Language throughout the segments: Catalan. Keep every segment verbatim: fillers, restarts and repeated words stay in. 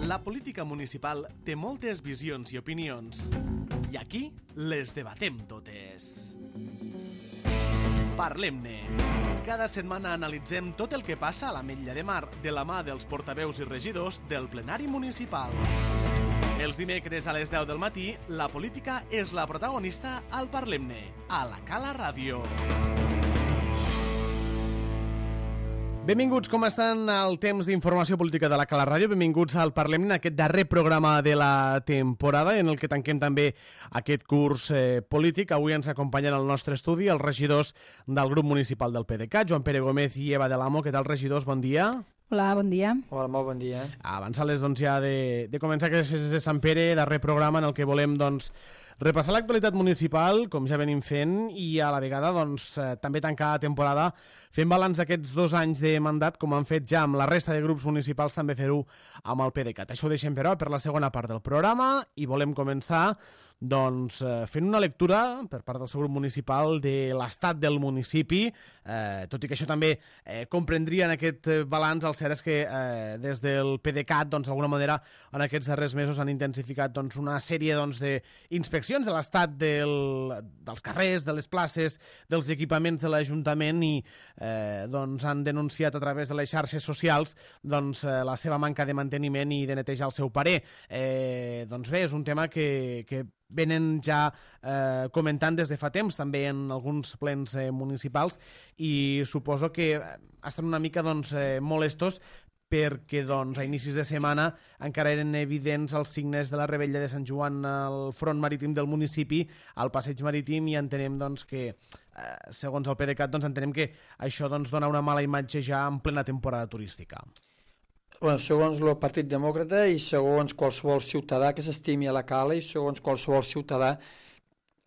La política municipal té moltes visions i opinions. I aquí les debatem totes. Parlem-ne. Cada setmana analitzem tot el que passa a l'Ametlla de Mar de la mà dels portaveus i regidors del plenari municipal. Els dimecres a les deu del matí, la política és la protagonista al Parlem-ne, a la Cala Ràdio. Benvinguts, com estan al temps d'informació política de la Cala Ràdio? Benvinguts al Parlem-ne, aquest darrer programa de la temporada en el que tanquem també aquest curs eh, polític. Avui ens acompanyen al nostre estudi els regidors del grup municipal del P D C A, Joan Pere Gómez i Eva de l'Amo. Què tal, regidors? Bon dia. Hola, bon dia. Hola, molt bon dia. Avançar-les doncs, ja de, de començar aquestes festes de Sant Pere, darrer programa en el que volem doncs, repassar l'actualitat municipal, com ja venim fent, i a la vegada doncs, eh, també tancar la temporada fent balanç d'aquests dos anys de mandat, com han fet ja amb la resta de grups municipals, també fer-ho amb el P D C A. Això ho deixem, però, per la segona part del programa i volem començar doncs, eh, fent una lectura per part del seu grup municipal de l'estat del municipi, eh, tot i que això també eh, comprendria en aquest balanç. El cert és que eh, des del P D C A T, doncs, d'alguna manera, en aquests darrers mesos han intensificat doncs, una sèrie doncs, d'inspeccions de l'estat del, dels carrers, de les places, dels equipaments de l'Ajuntament i eh, doncs, han denunciat a través de les xarxes socials doncs, eh, la seva manca de manteniment i de netejar el seu parer. Eh, doncs bé, és un tema que, que venen ja eh, comentant des de fa temps, també en alguns plens eh, municipals, i suposo que estan una mica doncs, eh, molestos perquè doncs, a inicis de setmana encara eren evidents els signes de la Revetlla de Sant Joan al front marítim del municipi, al passeig marítim, i entenem doncs, que, eh, segons el P D C A T, doncs, entenem que això doncs, dona una mala imatge ja en plena temporada turística. Bueno, segons el Partit Demòcrata i segons qualsevol ciutadà que s'estimi a la Cala i segons qualsevol ciutadà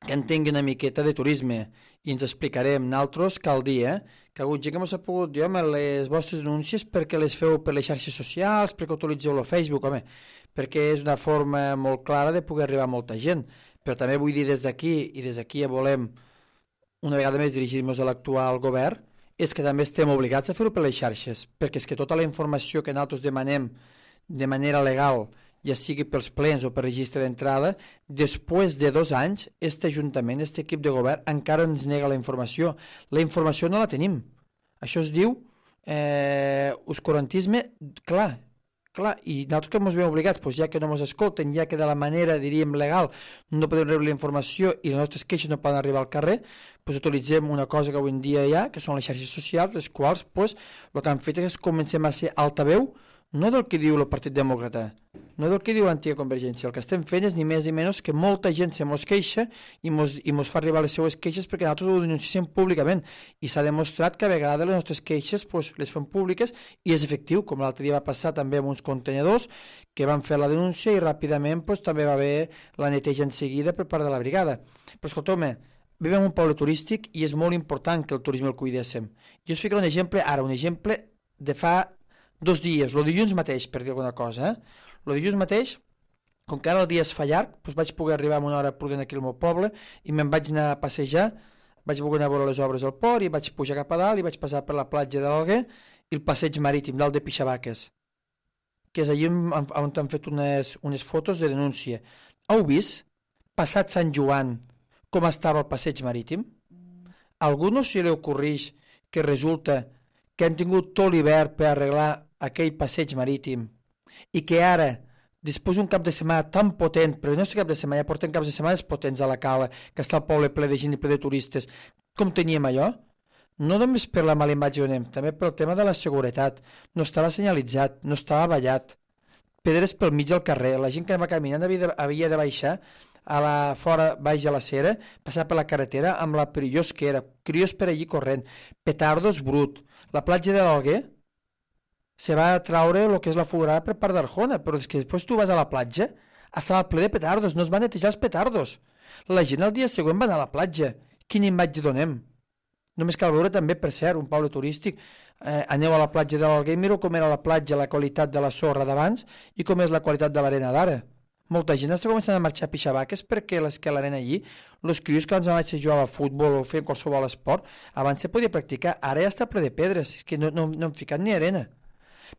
que entengui una miqueta de turisme, i ens explicarem nosaltres cal dir eh, que hagut gent que no s'ha pogut dir, home, les vostres denúncies perquè les feu per les xarxes socials, perquè utilitzeu el Facebook, home, perquè és una forma molt clara de poder arribar a molta gent, però també vull dir des d'aquí, i des d'aquí ja volem una vegada més dirigir-nos a l'actual govern, és que també estem obligats a fer-ho per les xarxes, perquè és que tota la informació que nosaltres demanem de manera legal, ja sigui pels plens o per registre d'entrada, després de dos anys, aquest Ajuntament, aquest equip de govern, encara ens nega la informació. La informació no la tenim. Això es diu eh, oscurantisme, clar, clar, i nosaltres que ens veiem obligats, doncs ja que no ens escolten, ja que de la manera, diríem, legal, no podem rebre la informació i les nostres queixes no poden arribar al carrer, doncs utilitzem una cosa que avui en dia hi ha, que són les xarxes socials, les quals doncs, el que han fet és que comencem a ser altaveu, no del que diu el Partit Demòcrata, no del que diu l'antiga Convergència. El que estem fent és ni més ni menys que molta gent se mos queixa i mos, i mos fa arribar les seues queixes perquè nosaltres ho denunciem públicament, i s'ha demostrat que a vegades les nostres queixes pues, les fem públiques i és efectiu, com l'altre dia va passar també amb uns contenedors que van fer la denúncia i ràpidament pues, també va haver la neteja en seguida per part de la brigada. Però escolteu-me, vivim en un poble turístic i és molt important que el turisme el cuidéssim. Jo us ficaré un exemple, ara un exemple de fa dos dies, el dilluns mateix, per dir alguna cosa. Eh? El dilluns mateix, com que ara el dia es fa llarg, doncs vaig poder arribar a una hora prudent aquí al meu poble i me'n vaig anar a passejar, vaig voler anar a veure les obres al port i vaig pujar cap a dalt i vaig passar per la platja de l'Alguer i el passeig marítim dalt de Pixabaques, que és allà on, on han fet unes, unes fotos de denúncia. Heu vist, passat Sant Joan, com estava el passeig marítim? A algú no se li ocorreix que resulta que han tingut tot l'hivern per arreglar aquell passeig marítim i que ara, després d'un cap de setmana tan potent, però no és cap de setmana, ja portem caps de setmanes potents a la Cala, que està el poble ple de gent i ple de turistes, com teníem allò? No només per la mala imatge on anem, també pel tema de la seguretat. No estava senyalitzat, no estava ballat, pedres pel mig del carrer, la gent que va caminant havia de, havia de baixar a la fora, baix a la cera, passar per la carretera amb la perillós que era, crios per allí corrent, petardos brut. La platja de l'Alguer se va traure el que és la foguerada per part d'Arjona, però és que després tu vas a la platja, estava ple de petardos, no es van netejar els petardos. La gent el dia següent va anar a la platja. Quina imatge donem? Només cal veure també, per cert, un poble turístic. Eh, aneu a la platja de l'Alguer i mireu com era la platja, la qualitat de la sorra d'abans i com és la qualitat de l'arena d'ara. Molta gent està començant a marxar a Pixabaques perquè les que l'arena allí, els crios que abans jugava a futbol o feien qualsevol esport, abans se podia practicar, ara ja està ple de pedres, és que no, no, no han ficat ni arena.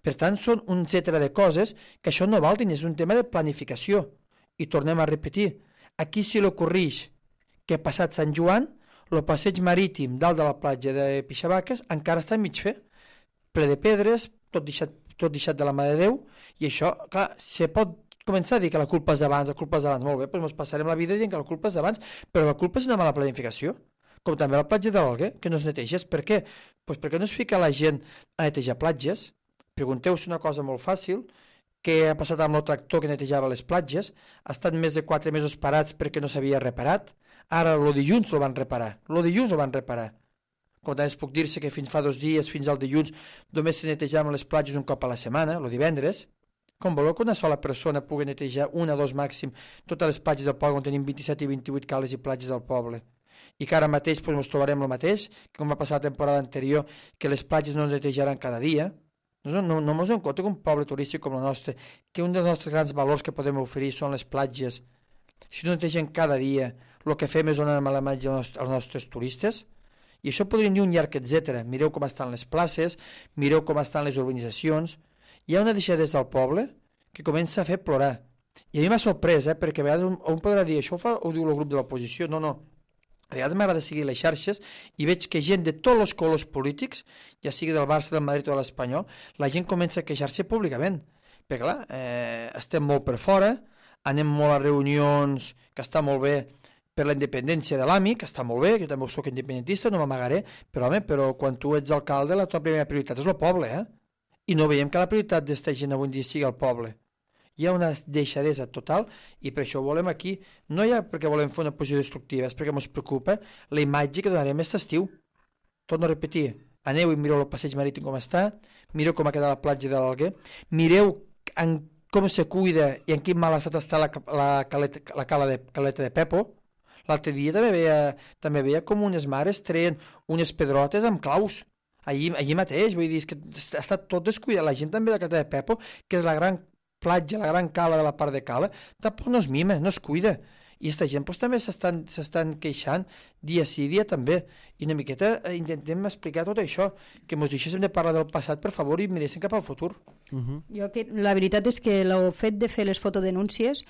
Per tant, són un etcètera de coses que això no val diners, és un tema de planificació. I tornem a repetir, aquí si l'ocorreix que ha passat Sant Joan, el passeig marítim dalt de la platja de Pixabaques encara està mig fer, ple de pedres, tot deixat, tot deixat de la mà de Déu, i això, clar, se pot començar a dir que la culpa és d'abans, la culpa és d'abans, molt bé, doncs ens passarem la vida dient que la culpa és d'abans, però la culpa és una mala planificació, com també la platja de l'Alguer, que no es neteges. Per què? Pues perquè no es fica la gent a netejar platges. Pregunteu-se una cosa molt fàcil, què ha passat amb el tractor que netejava les platges, ha estat més de quatre mesos parats perquè no s'havia reparat, ara el dilluns el van reparar, el dilluns el van reparar. Com també es puc dir-se que fins fa dos dies, fins al dilluns, només se netejaven les platges un cop a la setmana, el divendres. Com voleu que una sola persona pugui netejar una o dos màxim totes les platges del poble on tenim vint-i-set i vint-i-vuit cales i platges del poble? I que ara mateix doncs, ens trobarem el mateix, que com va passar la temporada anterior, que les platges no es netejaran cada dia. No, no, no ens en compte que un poble turístic com el nostre, que un dels nostres grans valors que podem oferir són les platges, si no netegen cada dia, el que fem és donar mala imatge als nostres turistes. I això podríem dir un llarg etcètera. Mireu com estan les places, mireu com estan les urbanitzacions. Hi ha una deixadesa al poble que comença a fer plorar. I a mi m'ha sorprès, eh, perquè a vegades un, un podrà dir això ho, fa, ho diu el grup de l'oposició. No, no. A vegades m'agrada seguir les xarxes i veig que gent de tots els colors polítics, ja sigui del Barça, del Madrid o de l'Espanyol, la gent comença a queixar-se públicament. Perquè clar, eh, estem molt per fora, anem molt a reunions, que està molt bé, per la independència de l'A M I, que està molt bé, jo també soc independentista, no m'amagaré, però home, però quan tu ets alcalde la teva primera prioritat és el poble, eh? I no veiem que la prioritat d'esta gent avui en dia sigui el poble. Hi ha una deixadesa total i per això ho volem aquí, no ja perquè volem fer una posició destructiva, és perquè ens preocupa la imatge que donarem aquest estiu. Torno a repetir, aneu i mireu el passeig marítim com està, mireu com ha quedat la platja de l'Alguer, mireu en com se cuida i en quin mal estat està la, la, caleta, la cala de, caleta de Pepo. L'altre dia també veia, també veia com unes mares treien unes pedrotes amb claus, allí, allí mateix, vull dir, és que ha estat tot descuidat. La gent també de la caleta de Pepo, que és la gran platja, la gran cala de la part de cala, tampoc no es mima, no es cuida. I aquesta gent pues, també s'estan queixant dia sí, dia també. I una miqueta eh, intentem explicar tot això, que ens deixéssim de parlar del passat, per favor, i miréssim cap al futur. Uh -huh. Jo que, la veritat és que el fet de fer les fotodenúncies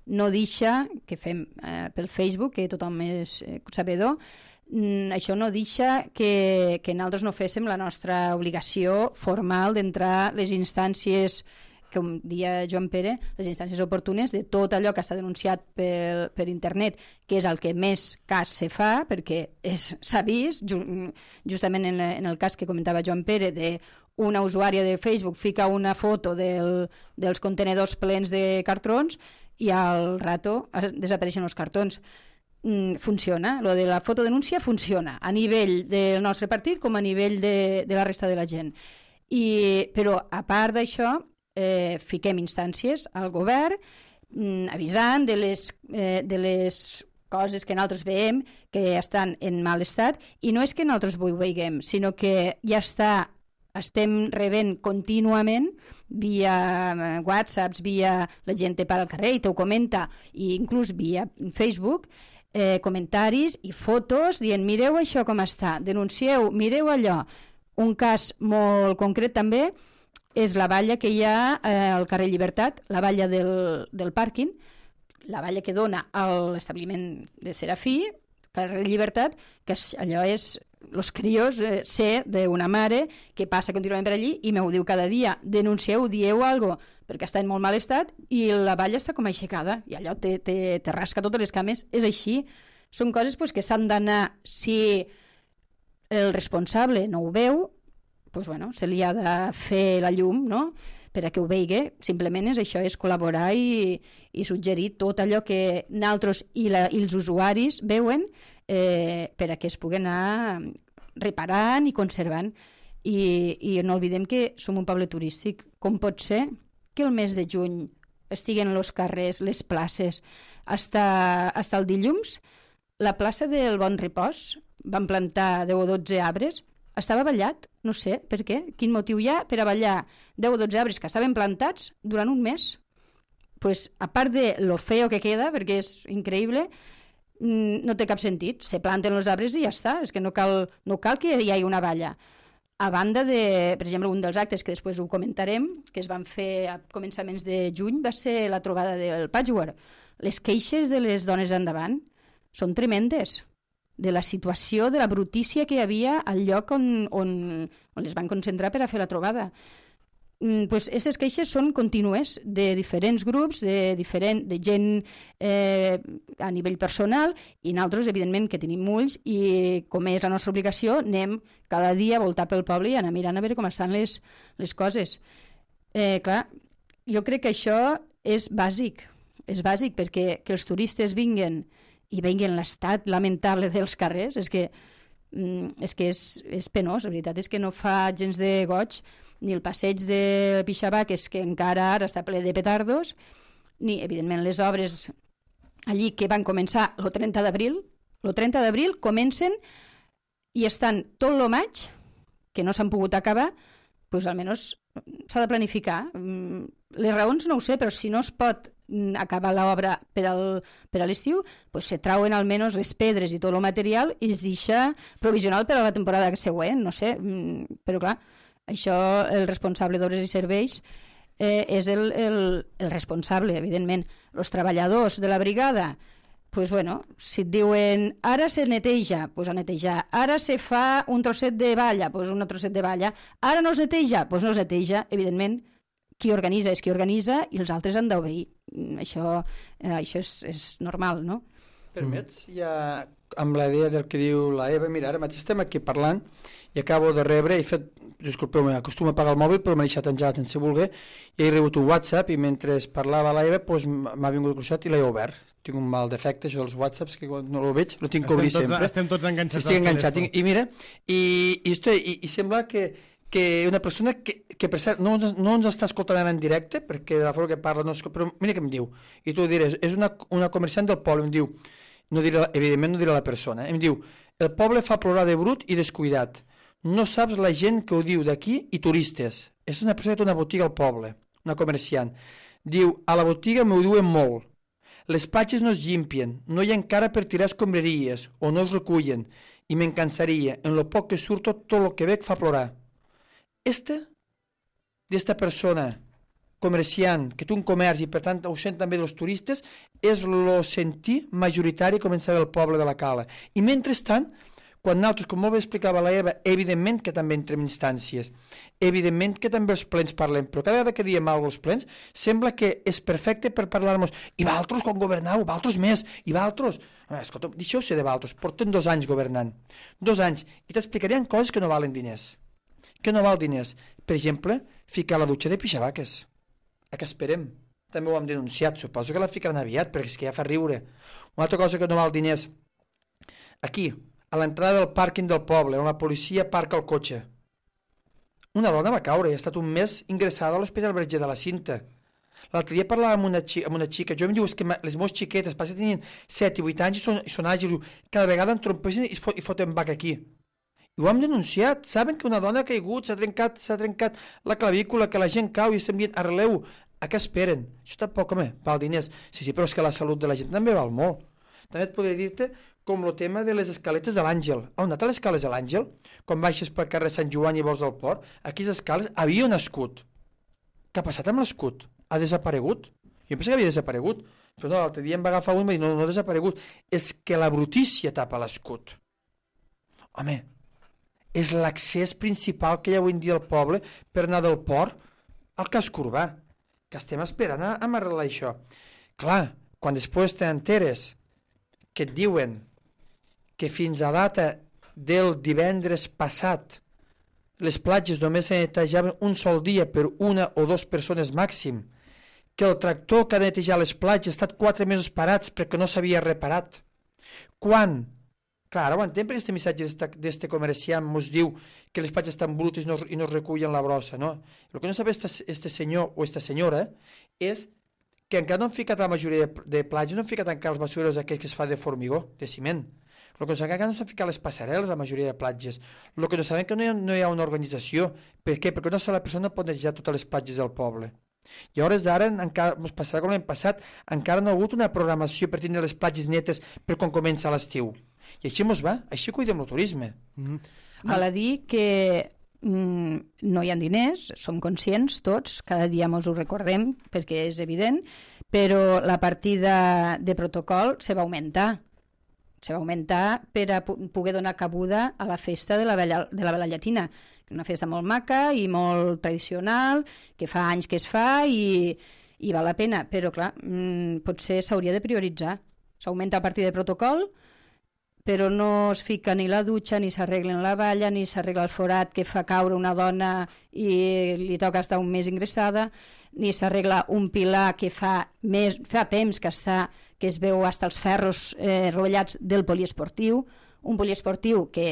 no deixa, que fem eh, pel Facebook, que tothom és eh, sabedor, mm, això no deixa que, que nosaltres no féssim la nostra obligació formal d'entrar a les instàncies, com dia Joan Pere, les instàncies oportunes de tot allò que està denunciat per, per internet, que és el que més cas se fa, perquè s'ha vist, ju, justament en, en el cas que comentava Joan Pere, de una usuària de Facebook fica una foto del, dels contenedors plens de cartrons i al rato desapareixen els cartons. Mm, funciona, lo de la fotodenúncia funciona, a nivell del nostre partit com a nivell de, de la resta de la gent. I, però a part d'això, eh, fiquem instàncies al govern mm, avisant de les, eh, de les coses que nosaltres veiem que estan en mal estat, i no és que nosaltres ho veiem, sinó que ja està, estem rebent contínuament via whatsapps, via la gent te para al carrer i te ho comenta, i inclús via Facebook, eh, comentaris i fotos dient mireu això com està, denuncieu, mireu allò. Un cas molt concret també és la valla que hi ha eh, al carrer Llibertat, la valla del, del pàrquing, la valla que dona a l'establiment de Serafí, carrer Llibertat, que allò és els crios, eh, sé d'una mare que passa contínuament per allí i m'ho diu cada dia, denuncieu, dieu alguna cosa, perquè està en molt mal estat i la valla està com aixecada i allò te, te, te rasca totes les cames. És així. Són coses pues, que s'han d'anar, si el responsable no ho veu, pues, bueno, se li ha de fer la llum, no?, per a que ho vegi. Simplement és això, és col·laborar i, i suggerir tot allò que nosaltres i, la, i els usuaris veuen eh, per a que es puguen anar reparant i conservant. I, i no oblidem que som un poble turístic. Com pot ser que el mes de juny estiguen els carrers, les places, hasta, hasta el dilluns? La plaça del Bon Repòs van plantar deu o dotze arbres, estava ballat, no sé per què, quin motiu hi ha per a ballar deu o dotze arbres que estaven plantats durant un mes. Pues, a part de lo feo que queda, perquè és increïble, no té cap sentit. Se planten els arbres i ja està, és que no cal, no cal que hi hagi una valla. a banda de, per exemple, un dels actes que després ho comentarem, que es van fer a començaments de juny, va ser la trobada del Patchwork. Les queixes de les dones endavant són tremendes, de la situació, de la brutícia que hi havia al lloc on, on, on les van concentrar per a fer la trobada. Pues aquestes queixes són contínues de diferents grups, de, diferent, de gent eh, a nivell personal, i nosaltres, evidentment, que tenim ulls, i com és la nostra obligació, anem cada dia a voltar pel poble i anar mirant a veure com estan les, les coses. Eh, clar, jo crec que això és bàsic, és bàsic perquè que els turistes vinguen i vegin l'estat lamentable dels carrers, és que, és, que és, és penós, la veritat és que no fa gens de goig, ni el passeig de Pixabac, és que encara ara està ple de petardos, ni, evidentment, les obres allí que van començar el trenta d'abril. El trenta d'abril comencen i estan tot el maig, que no s'han pogut acabar, doncs almenys s'ha de planificar. Les raons no ho sé, però si no es pot acabar l'obra per, al, per a l'estiu, doncs se trauen almenys les pedres i tot el material i es deixa provisional per a la temporada següent, no sé, però clar, això el responsable d'obres i serveis eh, és el, el, el responsable, evidentment. Els treballadors de la brigada, pues bueno, si et diuen ara se neteja, pues a netejar. Ara se fa un trosset de valla, pues un trosset de valla. Ara no es neteja, pues no es neteja. Evidentment, qui organitza és qui organitza i els altres han d'obeir. Això, eh, això és, és normal, no? Permets? Ja amb la idea del que diu la Eva, mira, ara mateix estem aquí parlant i acabo de rebre, he fet, disculpeu-me, acostumo a apagar el mòbil però m'he deixat engegat sense voler, i he rebut un WhatsApp i mentre parlava la Eva pues, m'ha vingut el cruixat i l'he obert. Tinc un mal defecte, això dels WhatsApps, que quan no el veig lo tinc que obrir tots, sempre. Estem tots enganxats. Estic enganxat. I, i mira, i, i, estoy, i, i sembla que, que una persona que, que per cert, no, no ens està escoltant en directe, perquè de la forma que parla, no, però mira què em diu, i tu diràs, és una, una comerciant del poble, em diu, no diré, evidentment no diré la persona, em diu, el poble fa plorar de brut i descuidat, no saps la gent que ho diu d'aquí i turistes. És una persona que té una botiga al poble, una comerciant. Diu, a la botiga m'ho diuen molt, les platges no es llimpien, no hi ha encara per tirar escombraries o no es recullen i me'n cansaria, en lo poc que surto tot el que veig fa plorar. Esta, d'esta persona comerciant, que té un comerç i per tant ho sent també dels turistes, és el sentir majoritari començar al poble de la Cala. I mentrestant, quan nosaltres, com molt bé explicava la Eva, evidentment que també entrem instàncies, evidentment que també els plens parlem, però cada vegada que diem alguna cosa als plens, sembla que és perfecte per parlar-nos, i valtros quan governau, valtros més, i valtros... Ah, escolta, deixeu-se de valtros, porten dos anys governant, dos anys, i t'explicarien coses que no valen diners, que no val diners. Per exemple, ficar la dutxa de pixabaques. A què esperem? També ho hem denunciat, suposo que la ficaran aviat, perquè és que ja fa riure. Una altra cosa que no val diners. Aquí, a l'entrada del pàrquing del poble, on la policia parca el cotxe. Una dona va caure i ha estat un mes ingressada a l'Hospital Verger de la Cinta. L'altre dia parlava amb una, xica, amb una xica, jo em diu, és que les meves xiquetes, passa que tenien set i vuit anys i són, i són àgils, cada vegada en trompeixen i, fot, i foten bac aquí. I ho hem denunciat, saben que una dona ha caigut, s'ha trencat, s'ha trencat la clavícula, que la gent cau i estem dient, arreleu, a què esperen? Això tampoc, home, val diners. Sí, sí, però és que la salut de la gent també val molt. També et podria dir-te com el tema de les escaletes de l'Àngel. On ha anat les escales de l'Àngel? Quan baixes pel carrer Sant Joan i vols del port, aquí les escales havia un escut. Què ha passat amb l'escut? Ha desaparegut? Jo penso que havia desaparegut, però no, l'altre dia em va agafar un i va dir, no, no ha desaparegut. És que la brutícia tapa l'escut. Home, és l'accés principal que hi ha avui en dia al poble per anar del port al casc urbà, que estem esperant a, a arreglar això. Clar, quan després t'enteres que et diuen que fins a data del divendres passat les platges només se netejaven un sol dia per una o dues persones màxim, que el tractor que ha de netejar les platges ha estat quatre mesos parats perquè no s'havia reparat. Quan? Clar, ara ho entenc perquè aquest missatge d'este comerciant ens diu que les platges estan brutes i no, i no es recullen la brossa, no? El que no sap este senyor o esta senyora és que encara no han ficat la majoria de, de platges, no han ficat encara els basureros aquells que es fa de formigó, de ciment. El que no sabem que no s'han ficat les passarel·les a la majoria de platges. El que no sabem que no hi ha, no hi ha una organització. Per què? Perquè no la persona pot netejar totes les platges del poble. I a hores d'ara, encara ens passarà com l'any passat, encara no ha hagut una programació per tindre les platges netes per quan comença l'estiu. I així mos va, així cuidem el turisme. Mm-hmm. Val a dir que mm, no hi ha diners, som conscients tots, cada dia ens ho recordem perquè és evident, però la partida de protocol se va augmentar. Se va augmentar per a poder donar cabuda a la festa de la Vella, de la Vella Llatina, una festa molt maca i molt tradicional, que fa anys que es fa i, i val la pena, però clar, mmm, potser s'hauria de prioritzar. S'augmenta a partir de protocol, però no es fica ni la dutxa, ni s'arregla la valla, ni s'arregla el forat que fa caure una dona i li toca estar un mes ingressada, ni s'arregla un pilar que fa, més, fa temps que, està, que es veu fins els ferros eh, rovellats del poliesportiu, un poliesportiu que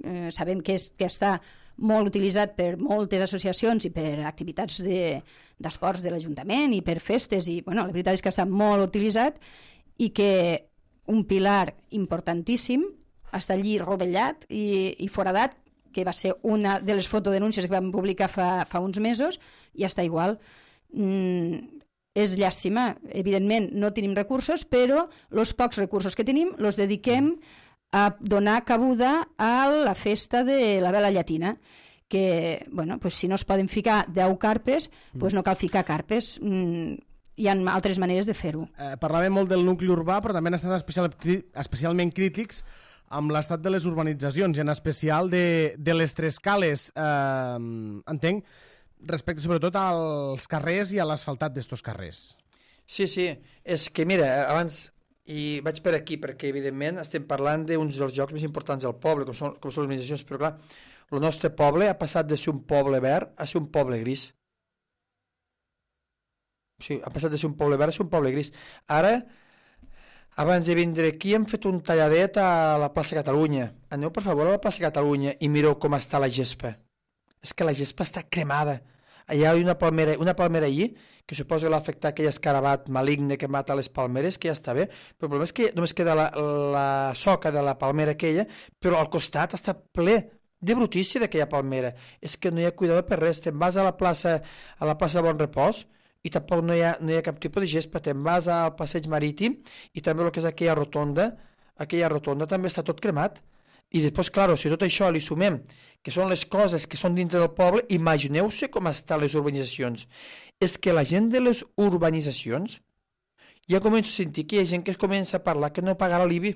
eh, sabem que, és, que està molt utilitzat per moltes associacions i per activitats d'esports de, de l'Ajuntament i per festes, i bueno, la veritat és que està molt utilitzat i que un pilar importantíssim està allí rovellat i, i foradat, que va ser una de les fotodenúncies que vam publicar fa, fa uns mesos, i està igual. Mm, és llàstima, evidentment no tenim recursos, però els pocs recursos que tenim els dediquem a donar cabuda a la festa de la Vela Llatina, que, bueno, pues si no es poden ficar deu carpes, pues no cal ficar carpes. Mm, hi ha altres maneres de fer-ho. Eh, parlàvem molt del nucli urbà, però també han estat especial, especialment crítics amb l'estat de les urbanitzacions, i en especial de, de les tres cales, eh, entenc, respecte sobretot als carrers i a l'asfaltat d'estos carrers. Sí, sí, és que mira, abans, i vaig per aquí, perquè evidentment estem parlant d'uns dels llocs més importants del poble, com són, com són les urbanitzacions, però clar, el nostre poble ha passat de ser un poble verd a ser un poble gris. Sí, ha passat de ser un poble verd a ser un poble gris. Ara, abans de vindre aquí, hem fet un talladet a la plaça Catalunya. Aneu, per favor, a la plaça Catalunya i mireu com està la gespa. És que la gespa està cremada. Allà hi ha una palmera, una palmera allí, que suposo que l'ha afectat aquell escarabat maligne que mata les palmeres, que ja està bé, però el problema és que només queda la, la soca de la palmera aquella, però al costat està ple de brutícia d'aquella palmera. És que no hi ha cuidado per res. Te'n vas a la plaça, a la plaça de Bon Repòs, i tampoc no hi ha, no hi ha cap tipus de gespa. Te'n vas al passeig marítim i també el que és aquella rotonda, aquella rotonda també està tot cremat. I després, clar, si tot això li sumem, que són les coses que són dintre del poble, imagineu-se com estan les urbanitzacions. És que la gent de les urbanitzacions ja comença a sentir que hi ha gent que es comença a parlar que no pagarà l'I B I.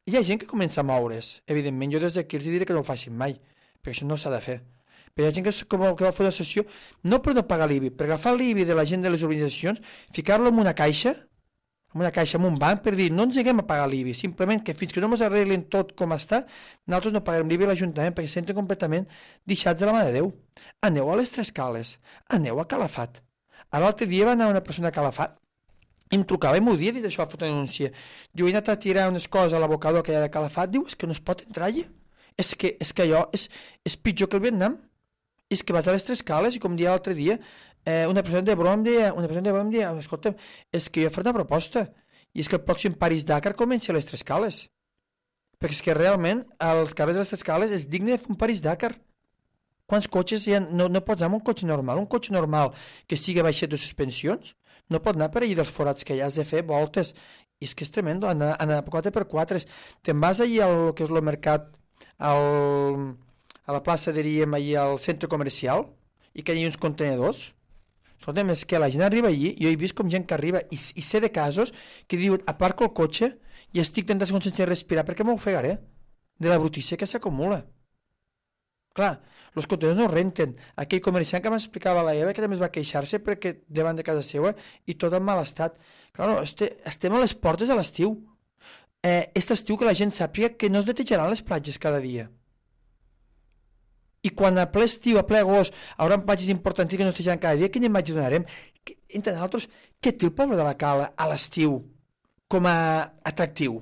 Hi ha gent que comença a moure's. Evidentment, jo des d'aquí els diré que no ho facin mai, perquè això no s'ha de fer. Però hi ha gent que, que va fer una sessió, no per no pagar l'I B I, per agafar l'I B I de la gent de les urbanitzacions, ficar-lo en una caixa, en una caixa, en un banc, per dir, no ens haguem a pagar l'I B I, simplement que fins que no ens arreglen tot com està, nosaltres no pagarem l'I B I a l'Ajuntament, perquè se senten completament deixats de la mà de Déu. Aneu a les Tres Cales, aneu a Calafat. A l'altre dia va anar una persona a Calafat, i em trucava i m'ho dia, dit això a la fotodenúncia. Diu, he anat a tirar unes coses a l'abocador que hi ha de Calafat, diu, és que no es pot entrar allà. És que, és que allò és, és pitjor que el Vietnam. És que vas a les Tres Cales i com dia l'altre dia, eh, una persona de broma em deia, una persona de broma em deia, escolta'm, és que jo faré una proposta, i és que el pròxim París-Dakar comenci a les Tres Cales. Perquè és que realment, als carrers de les Tres Cales és digne de fer un París-Dakar. Quants cotxes hi ha? No, no pots anar amb un cotxe normal, un cotxe normal que sigui baixet de suspensions, no pot anar per allà dels forats que ja has de fer voltes. I és que és tremendo, anar, anar quatre per quatre. Te'n vas allà al que és el mercat, al... a la plaça, diríem, allà al centre comercial, i que hi ha uns contenedors. Escolta'm, és que la gent arriba allí, jo he vist com gent que arriba, i, i sé de casos que diuen, aparco el cotxe i estic trenta segons sense respirar, perquè m'ofegaré de la brutícia que s'acumula. Clar, els contenidors no renten. Aquell comerciant que m'explicava la Eva, que també es va queixar-se perquè davant de casa seva, i tot en mal estat. Clar, este, estem a les portes de l'estiu. Eh, este estiu que la gent sàpiga que no es netejaran les platges cada dia. I quan a ple estiu, a ple agost, haurà platges importants que no es netejaran cada dia, quina imatge donarem? Entre nosaltres, què té el poble de la Cala a l'estiu com a atractiu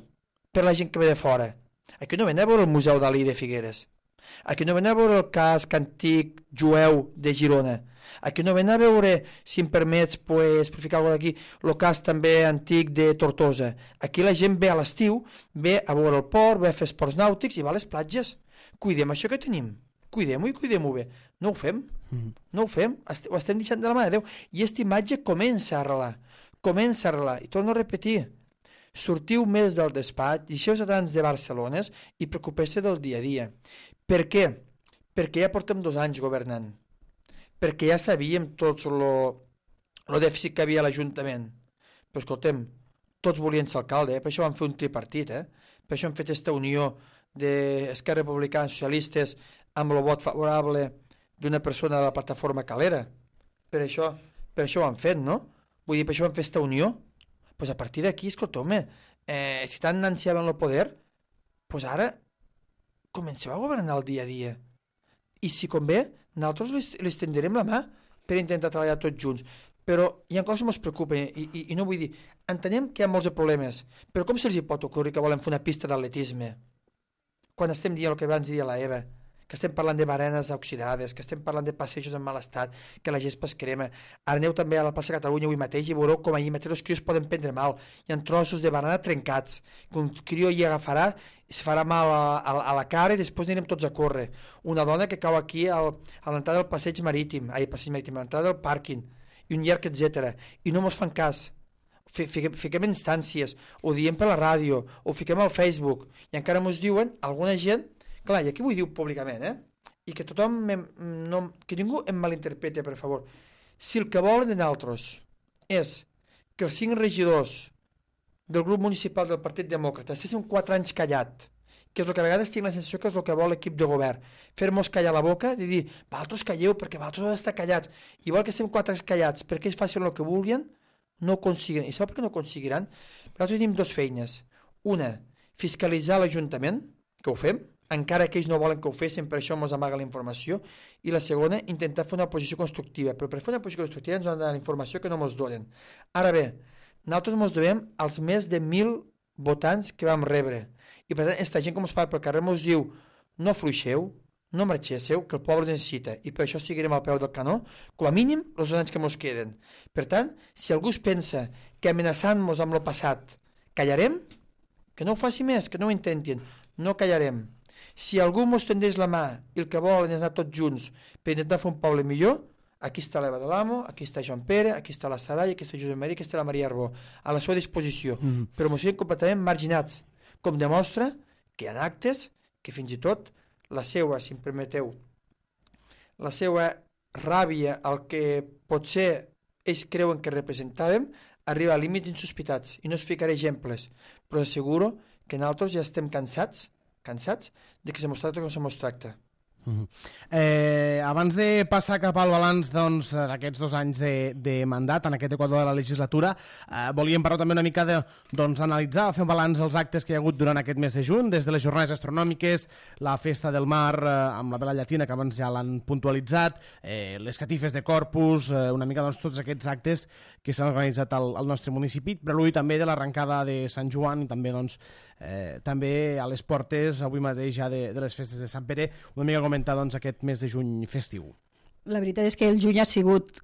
per la gent que ve de fora? Aquí no ven a veure el Museu Dalí de Figueres. Aquí no ven a veure el casc antic jueu de Girona. Aquí no ven a veure, si em permets, pues, per ficar alguna cosa d'aquí, el casc també antic de Tortosa. Aquí la gent ve a l'estiu, ve a veure el port, ve a fer esports nàutics i va a les platges. Cuidem això que tenim. Cuidem-ho i cuidem-ho bé. No ho fem. Mm. No ho fem. Est ho estem deixant de la mà de Déu. I aquesta imatge comença a arrelar. Comença a arrelar. I torno a repetir. Sortiu més del despatx, deixeu-vos de Barcelona i preocupeu-se del dia a dia. Per què? perquè ja portem dos anys governant, perquè ja sabíem tots el dèficit que havia a l'Ajuntament. Però escoltem, tots volien ser alcalde, eh? Per això van fer un tripartit, eh? Per això han fet aquesta unió d'Esquerra Republicana i Socialistes amb el vot favorable d'una persona de la plataforma Calera. Per això, per això ho han fet, no? Vull dir, per això van fer aquesta unió. Doncs pues a partir d'aquí, escolta, home, eh, si tant ansiaven el poder, doncs pues ara comenceu a governar el dia a dia. I si convé, nosaltres li, li estenderem la mà per intentar treballar tots junts. Però hi ha coses que ens preocupen i, i, i no vull dir, entenem que hi ha molts problemes, però com se'ls pot ocórrer que volen fer una pista d'atletisme? Quan estem dient el que abans diria la Eva, que estem parlant de barenes oxidades, que estem parlant de passejos en mal estat, que la gespa es crema. Ara aneu també a la plaça Catalunya avui mateix i veureu com ahir mateix els crios poden prendre mal. Hi ha trossos de banana trencats, que un crió hi agafarà i se farà mal a, a, a la cara i després anirem tots a córrer. Una dona que cau aquí al, a l'entrada del passeig marítim, ai, passeig marítim, a l'entrada del pàrquing, i un llarg, etcètera. I no mos fan cas. Fiquem, fiquem instàncies, ho diem per la ràdio, ho fiquem al Facebook, i encara mos diuen, alguna gent, clar, i aquí vull dir públicament, eh? I que tothom, em, no, que ningú em malinterpreti, per favor. Si el que volen de nosaltres és que els cinc regidors del grup municipal del Partit Demòcrata estiguessin quatre anys callat, que és el que a vegades tinc la sensació que és el que vol l'equip de govern, fer-nos callar la boca i dir, vosaltres calleu perquè vosaltres heu d'estar callats, igual que estem quatre anys callats perquè ells facin el que vulguin, no ho aconseguiran. I sabeu per què no ho aconseguiran? Perquè nosaltres tenim dues feines. Una, fiscalitzar l'Ajuntament, que ho fem, encara que ells no volen que ho fessin, per això ens amaga la informació, i la segona, intentar fer una posició constructiva, però per fer una posició constructiva ens han de donar la informació que no ens donen. Ara bé, nosaltres ens devem als més de mil votants que vam rebre, i per tant, aquesta gent com es parla pel carrer ens diu, no fluixeu, no marxéssiu, que el poble necessita, i per això seguirem al peu del canó, com a mínim, els dos anys que ens queden. Per tant, si algú es pensa que amenaçant-nos amb el passat callarem, que no ho faci més, que no ho intentin, no callarem. Si algú ens tendeix la mà i el que volen és anar tots junts per intentar fer un poble millor, aquí està l'Eva de l'Amo, aquí està Joan Pere, aquí està la Sarai, aquí està Josep Maria, aquí està la Maria Arbó, a la seva disposició, mm. però ens siguin completament marginats, com demostra que hi ha actes que fins i tot la seva, si em permeteu, la seva ràbia al que potser ells creuen que representàvem, arriba a límits insospitats, i no us ficaré exemples, però asseguro que nosaltres ja estem cansats, cansats de que se mos tracta com se mos tracta. Uh-huh. eh, abans de passar cap al balanç doncs, d'aquests dos anys de, de mandat en aquest equador de la legislatura, eh, volíem parlar també una mica de doncs, analitzar, fer un balanç dels actes que hi ha hagut durant aquest mes de juny, des de les jornades astronòmiques, la festa del mar eh, amb la vela llatina, que abans ja l'han puntualitzat, eh, les catifes de Corpus, eh, una mica doncs, tots aquests actes que s'han organitzat al, al nostre municipi, però avui també de l'arrencada de Sant Joan i també doncs, eh, també a les portes avui mateix ja de, de les festes de Sant Pere, una mica comentar doncs, aquest mes de juny festiu. La veritat és que el juny ha sigut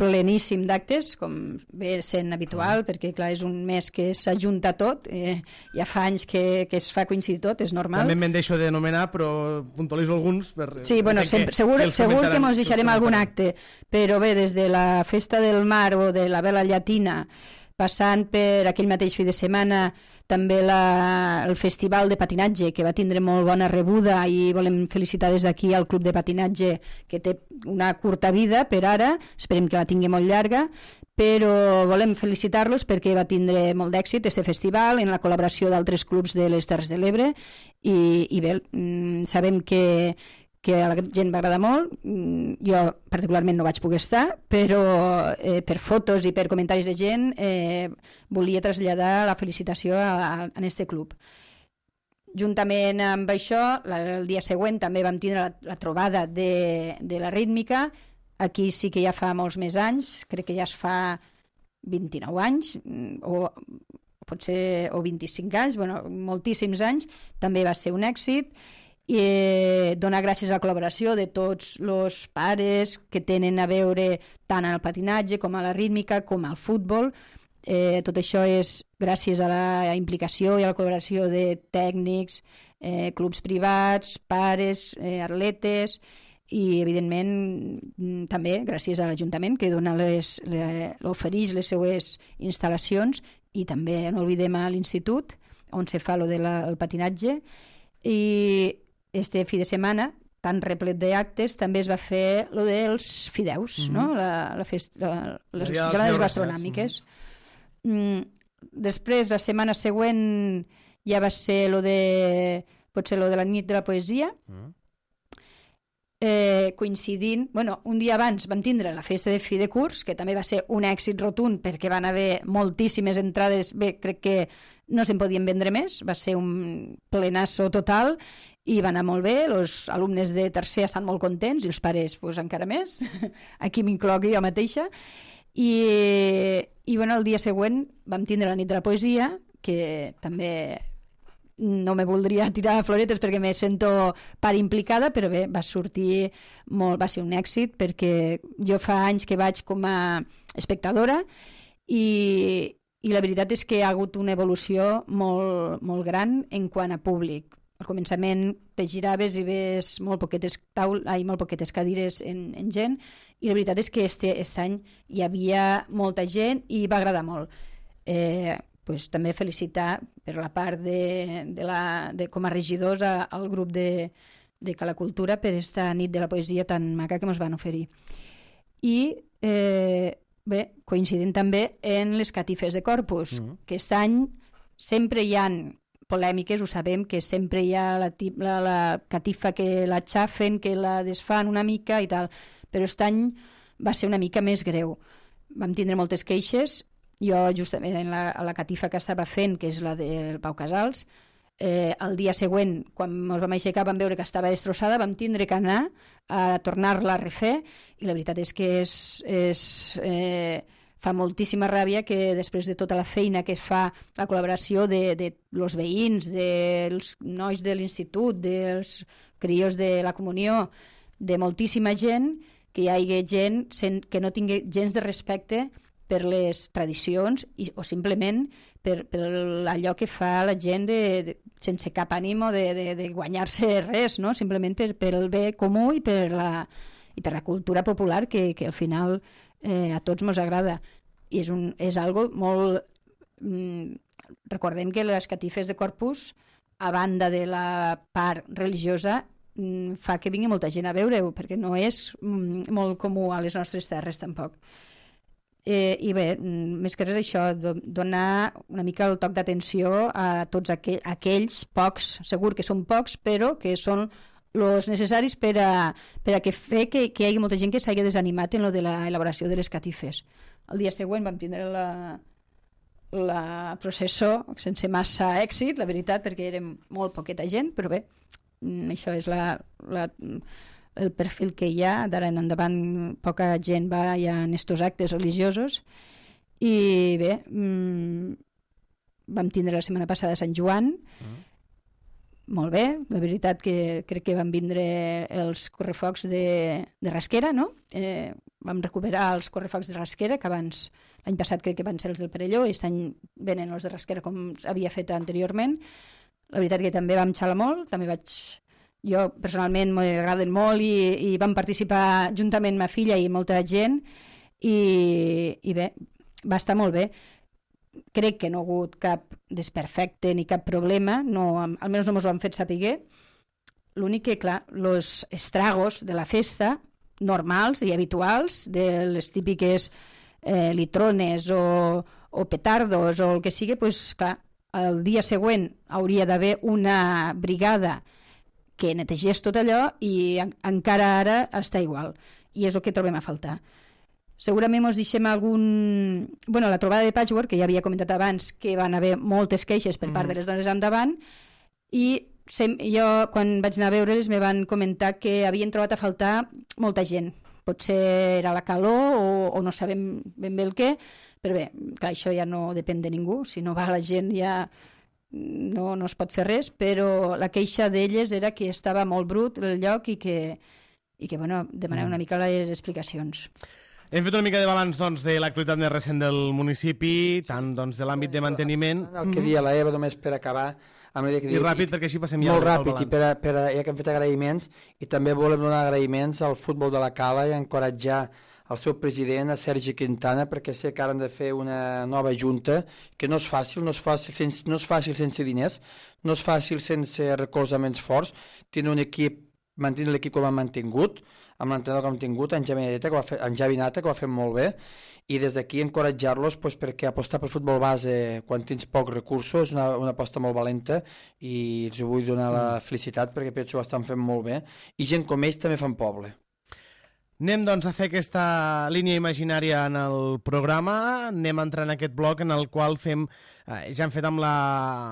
pleníssim d'actes, com ve sent habitual, perquè clar, és un mes que s'ajunta tot, eh, ja fa anys que, que es fa coincidir tot, és normal. També me'n deixo d'anomenar, però puntualitzo alguns. Per, sí, bueno, sempre, que, segur que, segur que ens deixarem algun acte, però bé, des de la Festa del Mar o de la Vela Llatina, passant per aquell mateix fi de setmana també la, el festival de patinatge, que va tindre molt bona rebuda, i volem felicitar des d'aquí al Club de Patinatge, que té una curta vida per ara, esperem que la tingui molt llarga, però volem felicitar-los perquè va tindre molt d'èxit aquest festival en la col·laboració d'altres clubs de les Terres de l'Ebre, i, i bé, sabem que que a la gent va agradar molt. Jo particularment no vaig poder estar, però eh, per fotos i per comentaris de gent eh, volia traslladar la felicitació a, a, a aquest club. Juntament amb això, la, el dia següent també vam tindre la, la trobada de, de la rítmica. Aquí sí que ja fa molts més anys, crec que ja es fa vint-i-nou anys, o potser o vint-i-cinc anys, bueno, moltíssims anys, també va ser un èxit. I donar gràcies a la col·laboració de tots els pares que tenen a veure tant al patinatge com a la rítmica com al futbol. Eh, tot això és gràcies a la implicació i a la col·laboració de tècnics, eh, clubs privats, pares, eh, atletes, i evidentment també gràcies a l'Ajuntament, que dona les, le, ofereix les seues instal·lacions, i també no oblidem a l'Institut on se fa lo de la, el patinatge. I este fi de setmana tan replet d'actes, també es va fer lo dels fideus, mm-hmm. no? La, la fest, la, les jornades gastronòmiques. Mm-hmm. Després, la setmana següent, ja va ser lo de, potser lo de la nit de la poesia, mm-hmm. Eh, coincidint, bueno, un dia abans vam tindre la festa de fi de curs, que també va ser un èxit rotund perquè van haver moltíssimes entrades, bé, crec que no se'n podien vendre més, va ser un plenasso total i va anar molt bé, els alumnes de tercer estan molt contents i els pares pues, encara més, aquí m'incloc jo mateixa, i, i bueno, el dia següent vam tindre la nit de la poesia, que també no me voldria tirar floretes perquè me sento part implicada, però bé, va sortir molt, va ser un èxit perquè jo fa anys que vaig com a espectadora i, i la veritat és que ha hagut una evolució molt, molt gran en quant a públic. Al començament te giraves i ves molt poquetes, taul, ai, molt poquetes cadires en, en gent i la veritat és que este, este any hi havia molta gent i va agradar molt. Eh, pues, també felicitar per la part de, de la, de, com a regidors a, al grup de, de Cala Cultura per esta nit de la poesia tan maca que ens van oferir. I eh, bé, coincidint també en les catifes de Corpus, mm-hmm. que aquest any sempre hi ha polèmiques, ho sabem, que sempre hi ha la, la, la catifa que la xafen, que la desfan una mica i tal, però aquest any va ser una mica més greu. Vam tindre moltes queixes. Jo, justament, en la, la catifa que estava fent, que és la del Pau Casals, eh, el dia següent, quan ens vam aixecar, vam veure que estava destrossada, vam tindre que anar a tornar-la a refer, i la veritat és que és, és, eh, fa moltíssima ràbia que després de tota la feina que es fa, la col·laboració de, de los veïns, dels nois de l'institut, dels crios de la comunió, de moltíssima gent, que hi hagi gent que no tingui gens de respecte per les tradicions i, o simplement per, per allò que fa la gent de, de, sense cap ànimo de, de, de guanyar-se res, no? Simplement per, per el bé comú i per la, i per la cultura popular que, que al final eh, a tots ens agrada. I és, un, és algo molt... Mm, recordem que les catifes de Corpus, a banda de la part religiosa, mm, fa que vingui molta gent a veure-ho, perquè no és mm, molt comú a les nostres terres tampoc. Eh, I bé, més que res això, donar una mica el toc d'atenció a tots aquell, aquells pocs, segur que són pocs, però que són els necessaris per a, per a que fer que, que hi hagi molta gent que s'hagi desanimat en lo de l'elaboració de les catifes. El dia següent vam tindre la, la processó sense massa èxit, la veritat, perquè érem molt poqueta gent, però bé, això és la... la el perfil que hi ha, d'ara en endavant poca gent va ja en estos actes religiosos i bé, mmm, vam tindre la setmana passada Sant Joan, mm. molt bé, la veritat que crec que van vindre els correfocs de, de Rasquera, no? Eh, vam recuperar els correfocs de Rasquera, que abans, l'any passat crec que van ser els del Perelló, i aquest any venen els de Rasquera com havia fet anteriorment. La veritat que també vam xalar molt, també vaig... Jo personalment m'agraden molt i, i vam participar juntament amb ma filla i molta gent i, i bé, va estar molt bé. Crec que no ha hagut cap desperfecte ni cap problema, no, almenys no ens ho han fet saber. L'únic que, clar, els estragos de la festa, normals i habituals, de les típiques eh, litrones o, o petardos o el que sigui, pues, clar, el dia següent hauria d'haver una brigada que netegés tot allò i en, encara ara està igual. I és el que trobem a faltar. Segurament ens deixem algun... Bueno, la trobada de Patchwork, que ja havia comentat abans, que van haver moltes queixes per part mm. de les dones endavant, i sem... jo, quan vaig anar a veure-les, me van comentar que havien trobat a faltar molta gent. Potser era la calor o, o no sabem ben bé el què, però bé, clar, això ja no depèn de ningú. Si no va la gent ja... No, no es pot fer res, però la queixa d'elles era que estava molt brut el lloc i que, i que bueno, demanem una mica les explicacions. Hem fet una mica de balanç doncs, de l'actualitat més recent del municipi, tant doncs, de l'àmbit de manteniment... El que dia la Eva, només per acabar... Amb que I ràpid, i, perquè així passem ja molt ràpid, i per a, per a, ja que hem fet agraïments, i també volem donar agraïments al futbol de la Cala i encoratjar el seu president, a Sergi Quintana, perquè sé que ara han de fer una nova junta, que no és fàcil, no és fàcil sense, no és fàcil sense diners, no és fàcil sense recolzaments forts. Tenen un equip mantenir l'equip com ha mantingut, amb l'entrenador que hem tingut, en Javi Nata, que ho ha fet, en Javi Nata, que ho ha fet molt bé, i des d'aquí encoratjar-los pues, perquè apostar pel futbol base quan tens pocs recursos és una, una aposta molt valenta i els vull donar la felicitat perquè penso que ho estan fent molt bé i gent com ells també fan poble. Anem doncs a fer aquesta línia imaginària en el programa, anem a entrar en aquest bloc en el qual fem, eh, ja hem fet amb, la,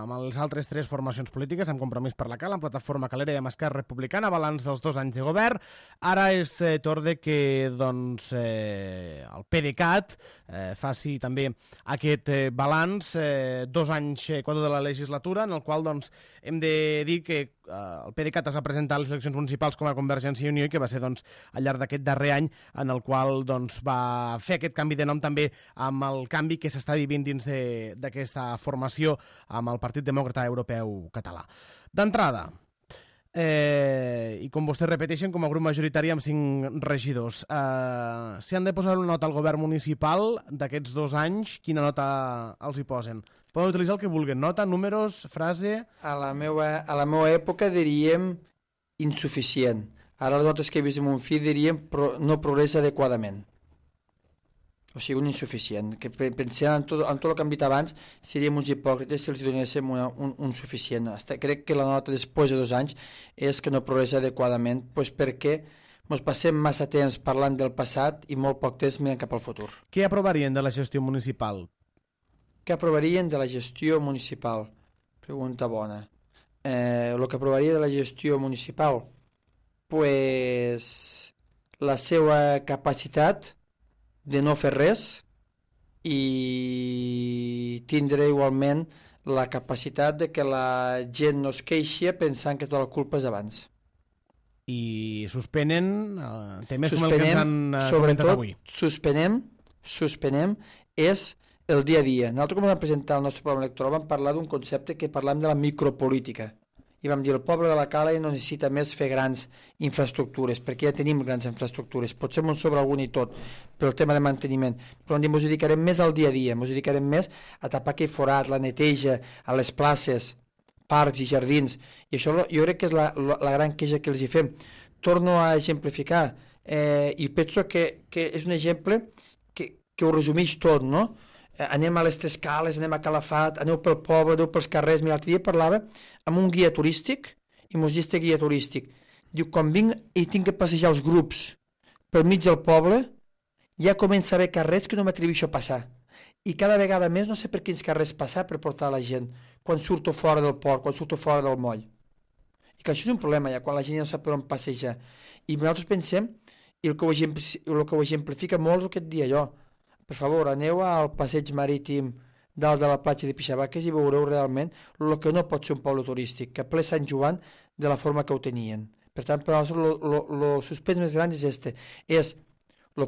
amb les altres tres formacions polítiques, amb Compromís per la Cala, amb Plataforma Calera i amb Esquerra Republicana, balanç dels dos anys de govern. Ara és eh, torn de que doncs, eh, el PDeCAT eh, faci també aquest eh, balanç, eh, dos anys eh, quadre de la legislatura, en el qual doncs, hem de dir que eh, el PDeCAT es va presentar a les eleccions municipals com a Convergència i Unió i que va ser doncs, al llarg d'aquest darrer any en el qual doncs, va fer aquest canvi de nom també amb el canvi que s'està vivint dins d'aquesta formació amb el Partit Demòcrata Europeu Català. D'entrada, eh, i com vostès repeteixen, com a grup majoritari amb cinc regidors, eh, si han de posar una nota al govern municipal d'aquests dos anys, quina nota els hi posen? Poden utilitzar el que vulguin, nota, números, frase... A la meva, a la meva època diríem insuficient. Ara les notes que he vist amb un fill diríem pro, no progressa adequadament. O sigui, un insuficient. Que pensant en tot, en tot el que hem dit abans, seríem uns hipòcrites si els donéssim una, un, un suficient. Hasta, crec que la nota després de dos anys és que no progressa adequadament, pues perquè ens passem massa temps parlant del passat i molt poc temps mirant cap al futur. Què aprovarien de la gestió municipal? Què aprovarien de la gestió municipal? Pregunta bona. Eh, el que aprovaria de la gestió municipal? Pues la seva capacitat de no fer res i tindre igualment la capacitat de que la gent no es queixi pensant que tota la culpa és abans. I suspenen eh, temes suspenem, com el que ens han eh, comentat avui. Suspenem, suspenem és el dia a dia. Nosaltres, quan vam presentar el nostre programa electoral, vam parlar d'un concepte que parlàvem de la micropolítica. I vam dir, el poble de la Cala no necessita més fer grans infraestructures, perquè ja tenim grans infraestructures. Potser ens sobre algun i tot, per el tema de manteniment. Però ens dedicarem més al dia a dia, ens dedicarem més a tapar aquell forat, la neteja, a les places, parcs i jardins. I això jo crec que és la, la, la gran queixa que els hi fem. Torno a exemplificar, eh, i penso que, que és un exemple que, que ho resumeix tot, no? Anem a les Tres Cales, anem a Calafat, aneu pel poble, aneu pels carrers. Mira, l'altre dia parlava amb un guia turístic i mos diu este guia turístic. Diu, quan vinc i tinc que passejar els grups pel mig del poble, ja comença a haver carrers que no m'atreveixo a passar. I cada vegada més no sé per quins carrers passar per portar la gent, quan surto fora del port, quan surto fora del moll. I que això és un problema ja, quan la gent ja no sap per on passejar. I nosaltres pensem, i el que ho, el que ho exemplifica molt és el que et dia jo, per favor, aneu al passeig marítim dalt de la platja de Pixabaques i veureu realment el que no pot ser un poble turístic, que ple Sant Joan de la forma que ho tenien. Per tant, per nosaltres, el suspens més gran és este, és el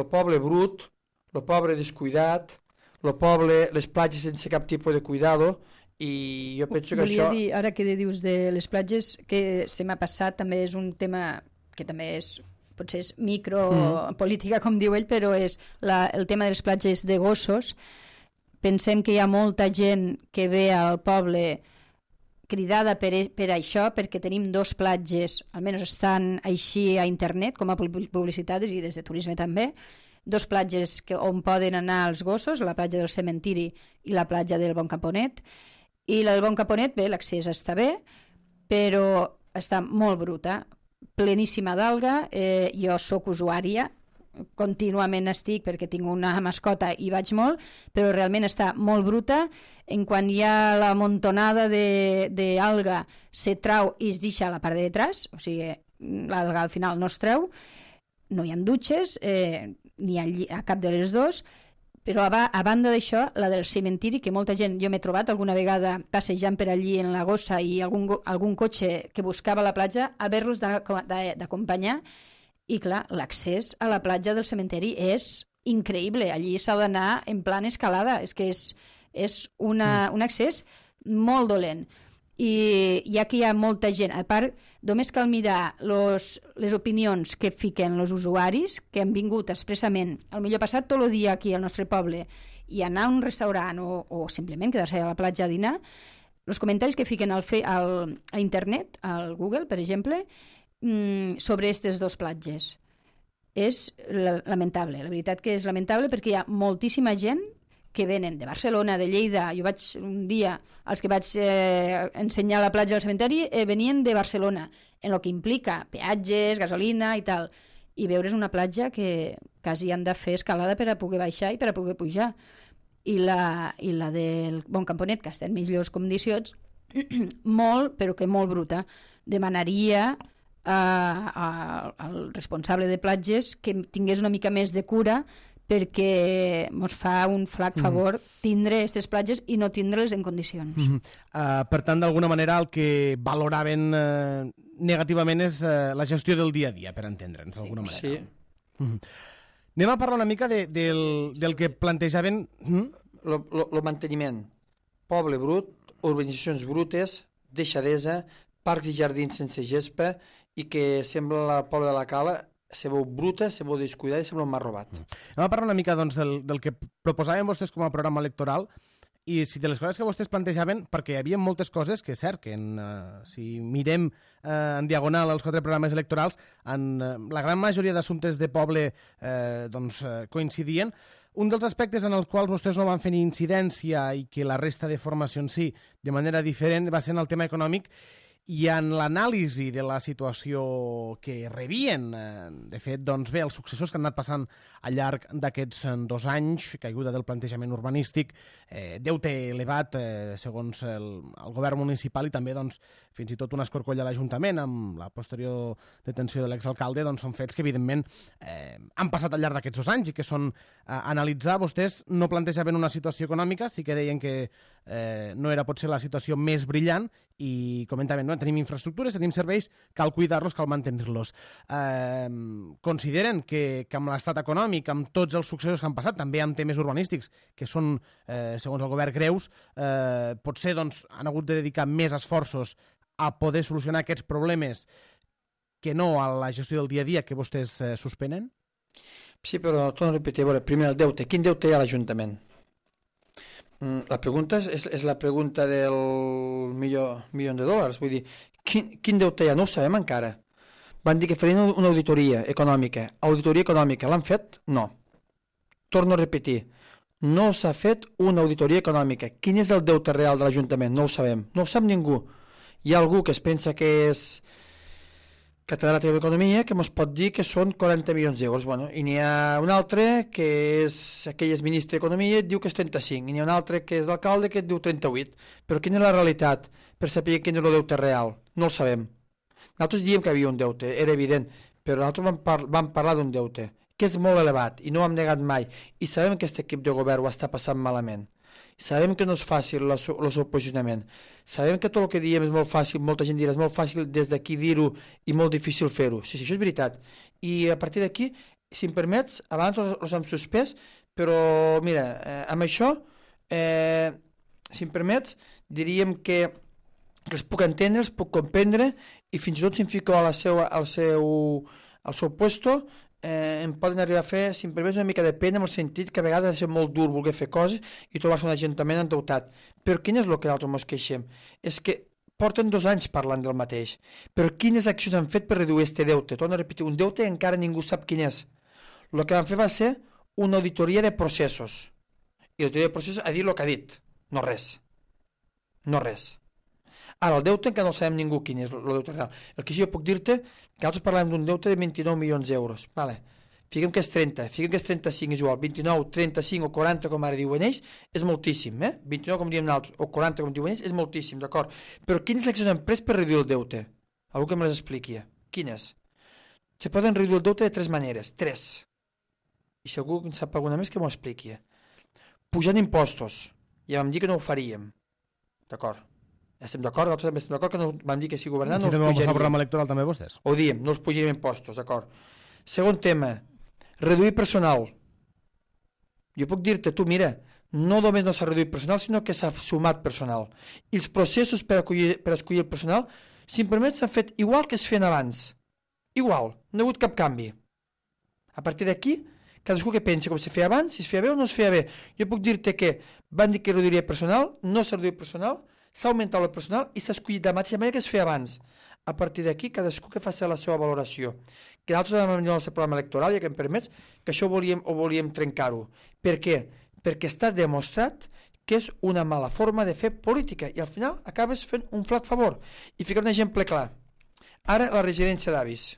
poble brut, el poble descuidat, el poble, les platges sense cap tipus de cuidado, i jo penso que Volia això... dir, ara que dius de les platges, que se m'ha passat, també és un tema que també és... potser és micropolítica, com diu ell, però és la, el tema de les platges de gossos. Pensem que hi ha molta gent que ve al poble cridada per, per això, perquè tenim dos platges, almenys estan així a internet, com a publicitats i des de turisme també, dos platges que, on poden anar els gossos, la platja del Cementiri i la platja del Bon Caponet. I la del Bon Caponet, bé, l'accés està bé, però està molt bruta, pleníssima d'alga. Eh, jo sóc usuària, contínuament estic perquè tinc una mascota i vaig molt, però realment està molt bruta. En quan hi ha la montonada d'alga se trau i es deixa a la part de detrás, o sigui, l'alga al final no es treu, no hi ha dutxes, eh, ni a, a cap de les dos, però a, a banda d'això, la del cementiri, que molta gent, jo m'he trobat alguna vegada passejant per allí en la gossa i algun, algun cotxe que buscava la platja, haver-los d'acompanyar, i clar, l'accés a la platja del cementiri és increïble, allí s'ha d'anar en plan escalada, és que és, és una, un accés molt dolent. I ja que hi ha molta gent, a part, només cal mirar los, les opinions que fiquen els usuaris, que han vingut expressament, al millor passat tot el dia aquí al nostre poble, i anar a un restaurant o, o simplement quedar-se a la platja a dinar, els comentaris que fiquen al fe, al, a internet, al Google, per exemple, mmm, sobre aquestes dos platges. És la, lamentable, la veritat que és lamentable perquè hi ha moltíssima gent que venen de Barcelona, de Lleida. Jo vaig un dia, els que vaig eh, ensenyar la platja del cementeri, eh, venien de Barcelona, en el que implica peatges, gasolina i tal. I veure's una platja que quasi han de fer escalada per a poder baixar i per a poder pujar. I la, i la del Bon Camponet, que està en millors condicions, molt, però que molt bruta. Demanaria a, a, al responsable de platges que tingués una mica més de cura perquè ens fa un flac favor tindre aquestes platges i no tindre-les en condicions. Mm -hmm. uh, per tant, d'alguna manera, el que valoraven uh, negativament és uh, la gestió del dia a dia, per entendre'ns, d'alguna sí, manera. Sí. Mm -hmm. Anem a parlar una mica de, del, del que plantejaven... Mm? El manteniment. Poble brut, urbanitzacions brutes, deixadesa, parcs i jardins sense gespa i que sembla el poble de la Cala se veu bruta, se veu descuidada i sembla un mar robat. Mm. Anem a parlar una mica doncs, del, del que proposaven vostès com a programa electoral i si de les coses que vostès plantejaven, perquè hi havia moltes coses que és cert que en, uh, si mirem uh, en diagonal els quatre programes electorals, en uh, la gran majoria d'assumptes de poble uh, doncs, uh, coincidien. Un dels aspectes en els quals vostès no van fer ni incidència i que la resta de formacions sí, de manera diferent, va ser en el tema econòmic i en l'anàlisi de la situació que rebien. De fet, doncs bé, els successors que han anat passant al llarg d'aquests dos anys, caiguda del plantejament urbanístic, eh, deute elevat eh, segons el, el govern municipal i també doncs, fins i tot un escorcoll a l'Ajuntament amb la posterior detenció de l'exalcalde, doncs són fets que evidentment eh, han passat al llarg d'aquests dos anys i que són a analitzar. Vostès no plantejaven una situació econòmica, sí que deien que eh, no era potser la situació més brillant i comentaven, no? Tenim infraestructures, tenim serveis, cal cuidar-los, cal mantenir-los. Eh, consideren que, que amb l'estat econòmic, amb tots els successos que han passat, també amb temes urbanístics, que són, eh, segons el govern, greus, eh, potser doncs, han hagut de dedicar més esforços a poder solucionar aquests problemes que no a la gestió del dia a dia que vostès eh, suspenen? Sí, però torno a repetir, a veure, primer el deute. Quin deute hi ha a l'Ajuntament? La pregunta és, és la pregunta del milió, milió de dòlars. Vull dir, quin, quin deute hi ha? No ho sabem encara. Van dir que farien una auditoria econòmica. Auditoria econòmica, l'han fet? No. Torno a repetir, no s'ha fet una auditoria econòmica. Quin és el deute real de l'Ajuntament? No ho sabem. No ho sap ningú. Hi ha algú que es pensa que és catedràtic d'Economia que ens pot dir que són quaranta milions d'euros. Bueno, i n'hi ha un altre que és aquell és ministre d'Economia i et diu que és trenta-cinc. I n'hi ha un altre que és l'alcalde que et diu trenta-vuit. Però quina és la realitat per saber quin és el deute real? No el sabem. Nosaltres diem que hi havia un deute, era evident, però nosaltres vam, par vam parlar d'un deute que és molt elevat i no ho hem negat mai. I sabem que aquest equip de govern ho està passant malament. Sabem que no és fàcil el seu posicionament. Sabem que tot el que diem és molt fàcil, molta gent dirà és molt fàcil des d'aquí dir-ho i molt difícil fer-ho. Sí, sí, això és veritat. I a partir d'aquí, si em permets, abans els hem suspès, però mira, eh, amb això, eh, si em permets, diríem que, que els puc entendre, els puc comprendre i fins i tot si em fico al seu, al seu, al seu puesto, Eh, em poden arribar a fer, si em permets, una mica de pena en el sentit que a vegades ha de ser molt dur voler fer coses i trobar-se un ajuntament endeutat. Però quin és el que nosaltres ens queixem? És que porten dos anys parlant del mateix. Però quines accions han fet per reduir aquest deute? Torno a repetir, un deute encara ningú sap quin és. El que van fer va ser una auditoria de processos. I l'auditoria de processos ha dit el que ha dit. No res. No res. Ara, el deute encara no sabem ningú quin és el deute real. El que sí jo puc dir-te que nosaltres parlem d'un deute de vint-i-nou milions d'euros. Vale. Fiquem que és trenta, fiquem que és trenta-cinc, és igual, vint-i-nou, trenta-cinc o quaranta, com ara diuen ells, és moltíssim, eh? vint-i-nou, com diem nosaltres, o quaranta, com diuen ells, és moltíssim, d'acord? Però quines accions han pres per reduir el deute? Algú que me les expliqui. Quines? Se poden reduir el deute de tres maneres, tres. I si algú en sap alguna més que m'ho expliqui. Pujant impostos. Ja vam dir que no ho faríem. D'acord? Estem d'acord, nosaltres també estem d'acord que no, vam dir que si governant si no els pujaríem. El programa electoral també vostès? Ho diem, no els pujaríem impostos, d'acord. Segon tema, reduir personal. Jo puc dir-te, tu mira, no només no s'ha reduït personal, sinó que s'ha sumat personal. I els processos per, acollir, per escollir el personal, si em permet, s'han fet igual que es feien abans. Igual, no hi ha hagut cap canvi. A partir d'aquí, cadascú que pensi com se feia abans, si es feia bé o no es feia bé. Jo puc dir-te que van dir que reduiria personal, no s'ha reduït personal, s'ha augmentat el personal i s'ha escollit de la mateixa manera que es feia abans. A partir d'aquí, cadascú que faci la seva valoració. Que nosaltres vam venir al nostre programa electoral, i que em permets, que això ho volíem, ho volíem trencar-ho. Per què? Perquè està demostrat que és una mala forma de fer política i al final acabes fent un flac favor. I ficar un exemple clar. Ara la residència d'avis,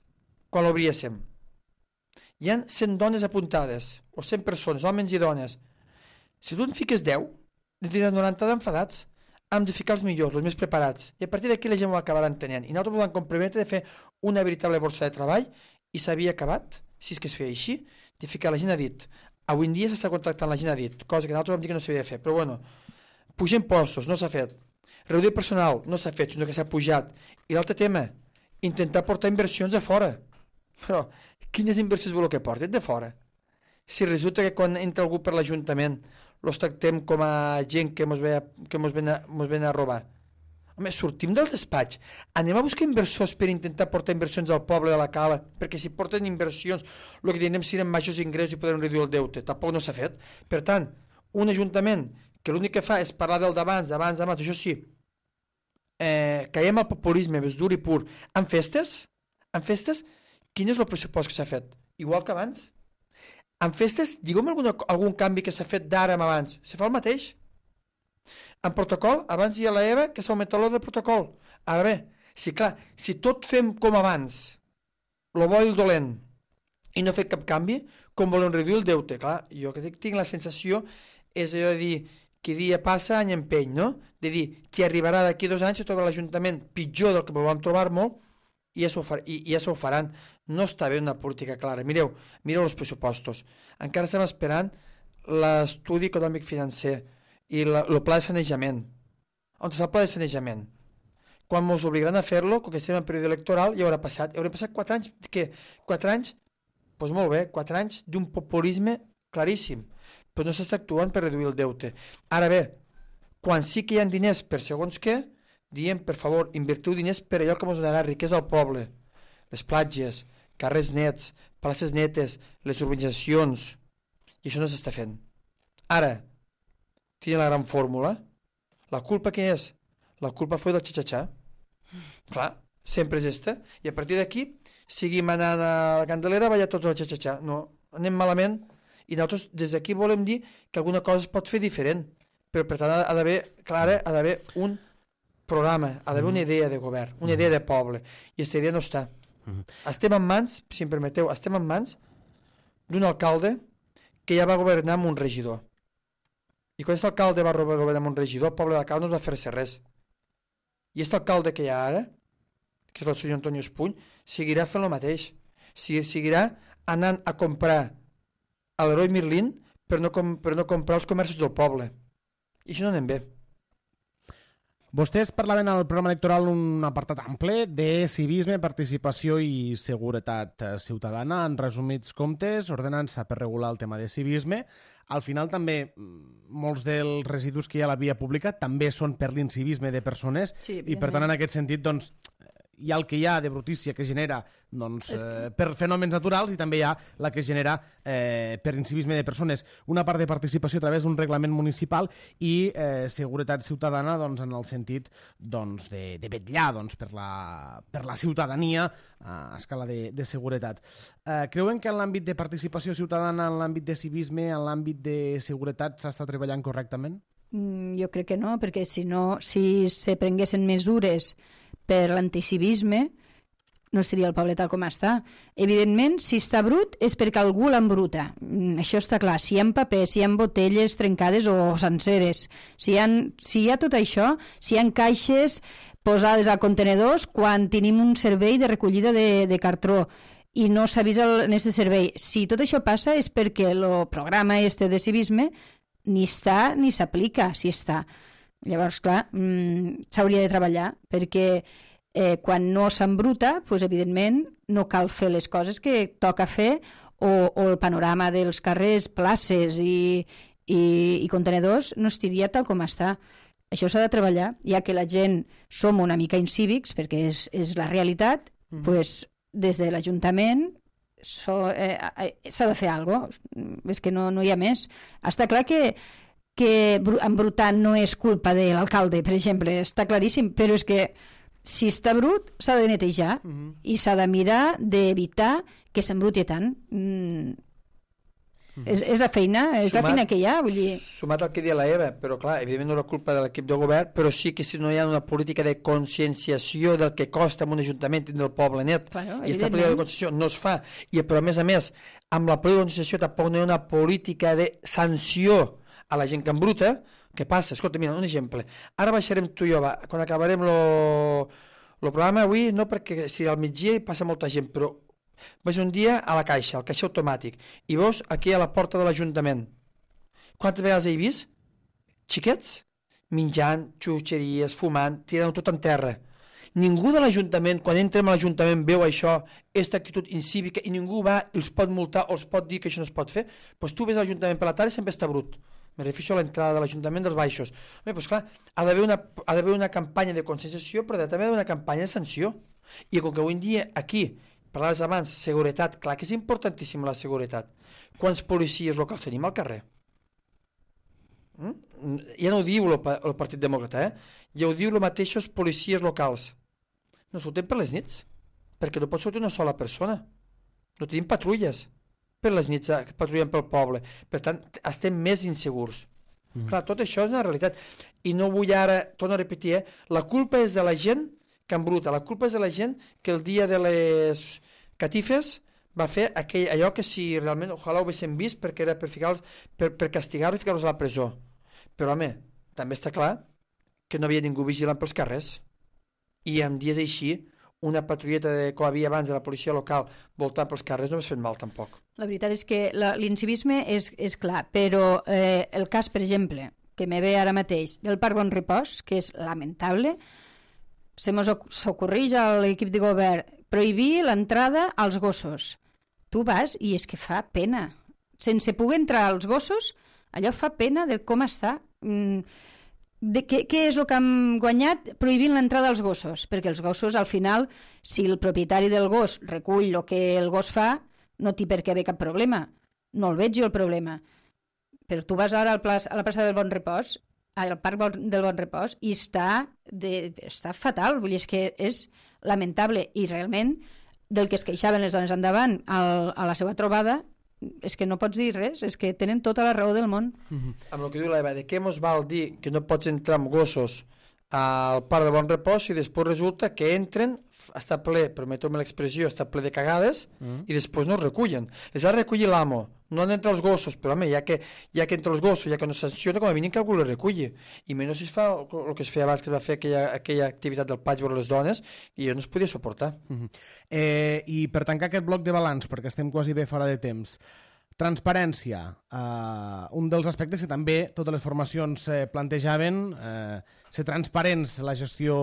quan l'obríem, hi ha cent dones apuntades, o cent persones, homes i dones. Si tu en fiques deu, ne tindràs noranta d'enfadats. Hem de ficar els millors, els més preparats. I a partir d'aquí la gent ho acabarà entenent. I nosaltres vam comprometre de fer una veritable borsa de treball i s'havia acabat, si és que es feia així, de ficar la gent a dit. Avui en dia s'està contractant la gent a dit, cosa que nosaltres vam dir que no s'havia de fer. Però bueno, pujar impostos, no s'ha fet. Reduir personal, no s'ha fet, sinó que s'ha pujat. I l'altre tema, intentar portar inversions de fora. Però quines inversions voleu que portin de fora? Si resulta que quan entra algú per l'Ajuntament els tractem com a gent que mos ve, que mos ven, a, mos ven a robar. Home, sortim del despatx, anem a buscar inversors per intentar portar inversions al poble de la Cala, perquè si porten inversions el que tindrem seran majors ingressos i podrem reduir el deute. Tampoc no s'ha fet. Per tant, un ajuntament que l'únic que fa és parlar del d'abans, abans, abans, això sí, eh, caiem al populisme, és dur i pur. En festes, en festes, quin és el pressupost que s'ha fet? Igual que abans? En festes, digue'm alguna, algun canvi que s'ha fet d'ara amb abans. Se fa el mateix. En protocol, abans hi ha la EVA que s'ha augmentat l'ordre de protocol. Ara bé, si clar, si tot fem com abans, lo bo i el dolent, i no fer cap canvi, com volem reduir el deute? Clar, jo que tinc la sensació és allò de dir que dia passa, any empeny, no? De dir que arribarà d'aquí dos anys i trobarà l'Ajuntament pitjor del que vam trobar molt i ja s'ho far, i, i ja s'ho faran. No està bé una política clara. Mireu, mireu els pressupostos. Encara estem esperant l'estudi econòmic financer i la, el pla de sanejament. On està el pla de sanejament? Quan ens obligaran a fer-lo, com que estem en període electoral, ja haurà passat. Haurà passat quatre anys. Què? Quatre anys? Doncs pues molt bé, quatre anys d'un populisme claríssim. Però no s'està actuant per reduir el deute. Ara bé, quan sí que hi ha diners per segons què, diem, per favor, invertiu diners per allò que ens donarà riquesa al poble. Les platges, carrers nets, places netes, les urbanitzacions, i això no s'està fent. Ara, tiene la gran fórmula. La culpa què és? La culpa fue del xixaxà. Clar, sempre és esta. I a partir d'aquí, seguim anant a la Candelera, vaya tots al xixaxà. No, anem malament, i nosaltres des d'aquí volem dir que alguna cosa es pot fer diferent. Però per tant ha d'haver, clara, ha d'haver un programa, ha d'haver una idea de govern, una idea de poble, i aquesta idea no està. Uh-huh. Estem en mans, si em permeteu, estem en mans d'un alcalde que ja va governar amb un regidor. I quan aquest alcalde va governar amb un regidor, el poble de Cala no es va fer-se res. I aquest alcalde que hi ha ara, que és el senyor Antonio Espuny, seguirà fent el mateix. Seguirà anant a comprar a l'Heroi Merlin per no, com, per no comprar els comerços del poble. I això no anem bé. Vostès parlaven al programa electoral un apartat ample de civisme, participació i seguretat ciutadana. En resumits comptes, ordenança per regular el tema de civisme. Al final també molts dels residus que hi ha a la via pública també són per l'incivisme de persones, sí, i per tant en aquest sentit doncs, hi ha el que hi ha de brutícia que genera doncs, eh, per fenòmens naturals i també hi ha la que genera eh, per incivisme de persones. Una part de participació a través d'un reglament municipal i eh, seguretat ciutadana doncs, en el sentit doncs, de, de vetllar doncs, per, la, per la ciutadania a escala de, de seguretat. Eh, creuen que en l'àmbit de participació ciutadana, en l'àmbit de civisme, en l'àmbit de seguretat s'està treballant correctament? Mm, jo crec que no, perquè si no, si se prenguessin mesures per l'anticivisme, no estaria el poble tal com està. Evidentment, si està brut és perquè algú l'embruta. Això està clar. Si hi ha papers, si hi ha botelles trencades o senceres, si hi ha, si hi ha tot això, si hi ha caixes posades a contenedors quan tenim un servei de recollida de, de cartró i no s'avisa en aquest servei. Si tot això passa és perquè el programa este de civisme ni està ni s'aplica, si està. Llavors, clar, mmm, s'hauria de treballar, perquè eh, quan no s'embruta, doncs, evidentment, no cal fer les coses que toca fer, o, o el panorama dels carrers, places i, i, i contenedors no estiria tal com està. Això s'ha de treballar, ja que la gent som una mica incívics, perquè és, és la realitat, mm. doncs, des de l'Ajuntament so, eh, s'ha de fer alguna cosa. És que no, no hi ha més. Està clar que que embrutar no és culpa de l'alcalde, per exemple, està claríssim, però és que si està brut s'ha de netejar uh-huh. i s'ha de mirar d'evitar que s'embruti tant. Mm. Uh-huh. És, és la feina, és sumat, la feina que hi ha, vull dir... Sumat al que deia la Eva, però clar, evidentment no és la culpa de l'equip de govern, però sí que si no hi ha una política de conscienciació del que costa en un ajuntament tindre el poble net, claro, i aquesta política de conscienciació no es fa, i però a més a més, amb la política de conscienciació tampoc no hi ha una política de sanció a la gent que embruta. Què passa? Escolta, mira, un exemple. Ara baixarem tu i jo, va, quan acabarem el programa avui, no perquè si al migdia hi passa molta gent, però vaig un dia a la caixa, al caixer automàtic, i veus aquí a la porta de l'Ajuntament. Quantes vegades he vist? Xiquets? Menjant, xutxeries, fumant, tirant tot en terra. Ningú de l'Ajuntament, quan entrem a l'Ajuntament, veu això, aquesta actitud incívica, i ningú va i els pot multar o els pot dir que això no es pot fer. Doncs tu ves a l'Ajuntament per la tarda i sempre està brut. Me refereixo a l'entrada de l'Ajuntament dels Baixos. Bé, doncs clar, ha d'haver una, ha d'haver una campanya de conscienciació, però també ha d'haver una campanya de sanció. I com que avui en dia aquí, parlaves abans, seguretat, clar que és importantíssima la seguretat. Quants policies locals tenim al carrer? Mm? Ja no ho diu el, el Partit Demòcrata, eh? Ja ho diu els mateixos policies locals. No surten per les nits, perquè no pot sortir una sola persona. No tenim patrulles per les nits que patrullen pel poble. Per tant, estem més insegurs. Mm. Clar, tot això és una realitat. I no vull ara, torno a repetir, eh? La culpa és de la gent que embruta. La culpa és de la gent que el dia de les catifes va fer aquell, allò que si realment, ojalà ho haguéssim vist, perquè era per, per, per castigar-los i ficar-los a la presó. Però, home, també està clar que no havia ningú vigilant pels carrers. I en dies així, una patrulleta de, com havia abans de la policia local voltant pels carrers no hagués fet mal, tampoc. La veritat és que l'incivisme és, és clar, però eh, el cas, per exemple, que me ve ara mateix del Parc Bon Repòs, que és lamentable, se mos ocorreix a l'equip de govern prohibir l'entrada als gossos. Tu vas i és que fa pena. Sense poder entrar als gossos, allò fa pena de com està. De què, què és el que hem guanyat prohibint l'entrada als gossos? Perquè els gossos, al final, si el propietari del gos recull el que el gos fa, no té per què haver cap problema. No el veig jo el problema. Però tu vas ara al plaç, a la plaça del Bon Repòs, al Parc del Bon Repòs, i està, de, està fatal, vull dir, és que és lamentable, i realment del que es queixaven les dones endavant al, a la seva trobada és que no pots dir res, és que tenen tota la raó del món. Mm-hmm. Amb el que diu l'Eva, de què mos val dir que no pots entrar amb gossos al Parc del Bon Repòs i després resulta que entren, està ple, permeteu-me l'expressió, està ple de cagades mm. i després no es recullen. Les ha de recollir l'amo, no han d'entrar els gossos, però home, ja que, ja que entre els gossos, ja que no sanciona, com a mínim que algú les reculli. I menys si es fa el que es feia abans, que es va fer aquella, aquella activitat del patx per les dones, i jo no es podia suportar. Mm-hmm. eh, I per tancar aquest bloc de balanç, perquè estem quasi bé fora de temps, transparència, eh, un dels aspectes que també totes les formacions eh, plantejaven, eh, ser transparents la gestió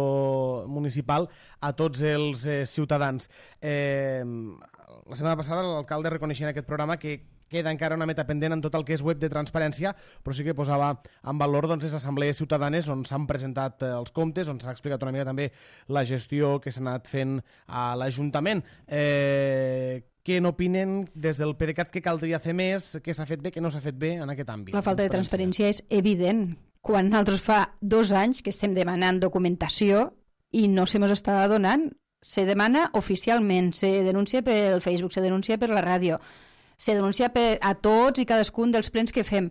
municipal a tots els eh, ciutadans. Eh, la setmana passada l'alcalde reconeixia en aquest programa que queda encara una meta pendent en tot el que és web de transparència, però sí que posava en valor doncs, les assemblees ciutadanes on s'han presentat eh, els comptes, on s'ha explicat una mica també la gestió que s'ha anat fent a l'Ajuntament. Eh, què n'opinen des del PDeCAT que caldria fer més, què s'ha fet bé, què no s'ha fet bé en aquest àmbit? La falta de transparència és evident. Quan nosaltres fa dos anys que estem demanant documentació i no se mos està donant, se demana oficialment, se denuncia pel Facebook, se denuncia per la ràdio, se denuncia per a tots i cadascun dels plens que fem.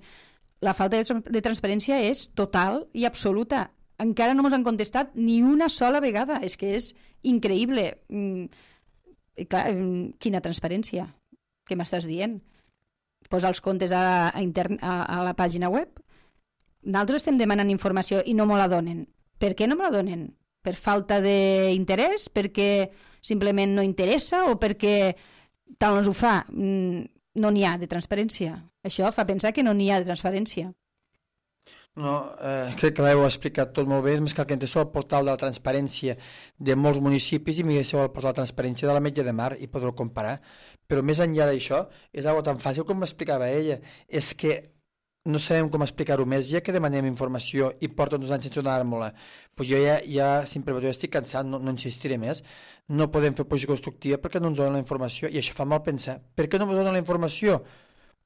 La falta de transparència és total i absoluta. Encara no ens han contestat ni una sola vegada. És que és increïble. I clar, quina transparència? Què m'estàs dient? Posa els comptes a, a, intern, a, a la pàgina web? Nosaltres estem demanant informació i no me la donen. Per què no me la donen? Per falta d'interès? Perquè simplement no interessa? O perquè tal no ho fa? No n'hi ha de transparència. Això fa pensar que no n'hi ha de transparència. No, eh, crec que l'heu explicat tot molt bé, més que el que entès el portal de la transparència de molts municipis i mireu el portal de la transparència de la Metge de Mar i podreu comparar. Però més enllà d'això, és una cosa tan fàcil com m'explicava ella, és que no sabem com explicar-ho més, ja que demanem informació i porten dos anys sense donar-me-la. Pues jo ja, ja sempre jo estic cansat, no, no insistiré més. No podem fer posició constructiva perquè no ens donen la informació i això fa mal pensar. Per què no ens donen la informació?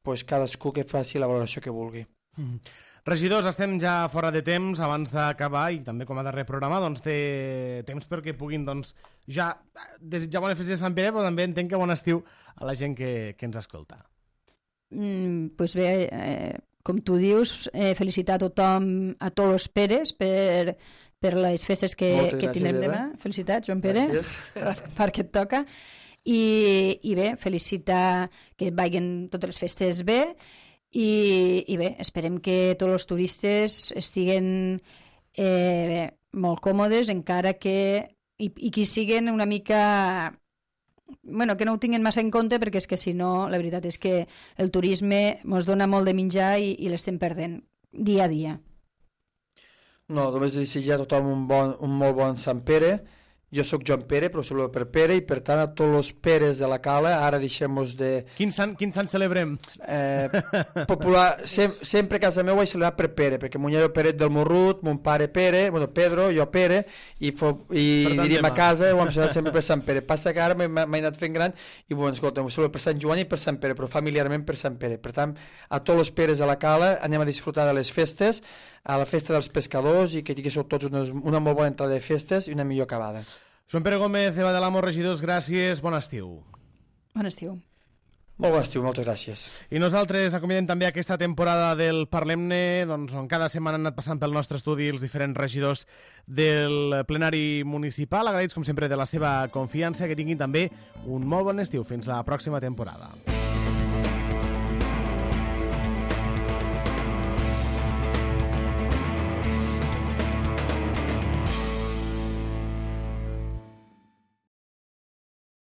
Pues cadascú que faci la valoració que vulgui. Mm. Regidors, estem ja fora de temps. Abans d'acabar, i també com a darrer programa, doncs té temps perquè puguin doncs, ja desitjar bones festes de Sant Pere, però també entenc que bon estiu a la gent que, que ens escolta. Mm, pues bé, eh, com tu dius, eh, felicitar a tothom, a tots els Peres, per, per les festes que, que tindrem demà. Felicitats, Joan Pere, per, perquè et toca. I, I bé, felicitar que vagin totes les festes bé. I, i bé, esperem que tots els turistes estiguen eh, bé, molt còmodes, encara que i, i que siguin una mica, bueno, que no ho tinguin massa en compte, perquè és que si no, la veritat és que el turisme ens dona molt de menjar i, i l'estem perdent dia a dia. No, només desitjar a tothom un, bon, un molt bon Sant Pere. Jo sóc Joan Pere, però celebro per Pere, i per tant a tots els Peres de la Cala, ara deixem-nos de... Quin sant, quin sant celebrem? Eh, popular, sem, sempre a casa meu he celebrat per Pere, perquè mon iaio Peret del Morrut, mon pare Pere, bueno, Pedro, jo Pere, i, fo, i diríem a casa, ho hem celebrat sempre per Sant Pere. Passa que ara m'he anat fent gran i, bueno, escolta, ho celebro per Sant Joan i per Sant Pere, però familiarment per Sant Pere. Per tant, a tots els Peres de la Cala anem a disfrutar de les festes, a la festa dels pescadors, i que tinguéssiu tots una, una molt bona entrada de festes i una millor acabada. Joan Pere Gómez, Eva de l'Amo, regidors, gràcies, bon estiu. Bon estiu. Molt bon estiu, moltes gràcies. I nosaltres acomiadem també aquesta temporada del Parlem-ne, doncs, on cada setmana han anat passant pel nostre estudi els diferents regidors del plenari municipal. Agraïts, com sempre, de la seva confiança, que tinguin també un molt bon estiu. Fins la pròxima temporada.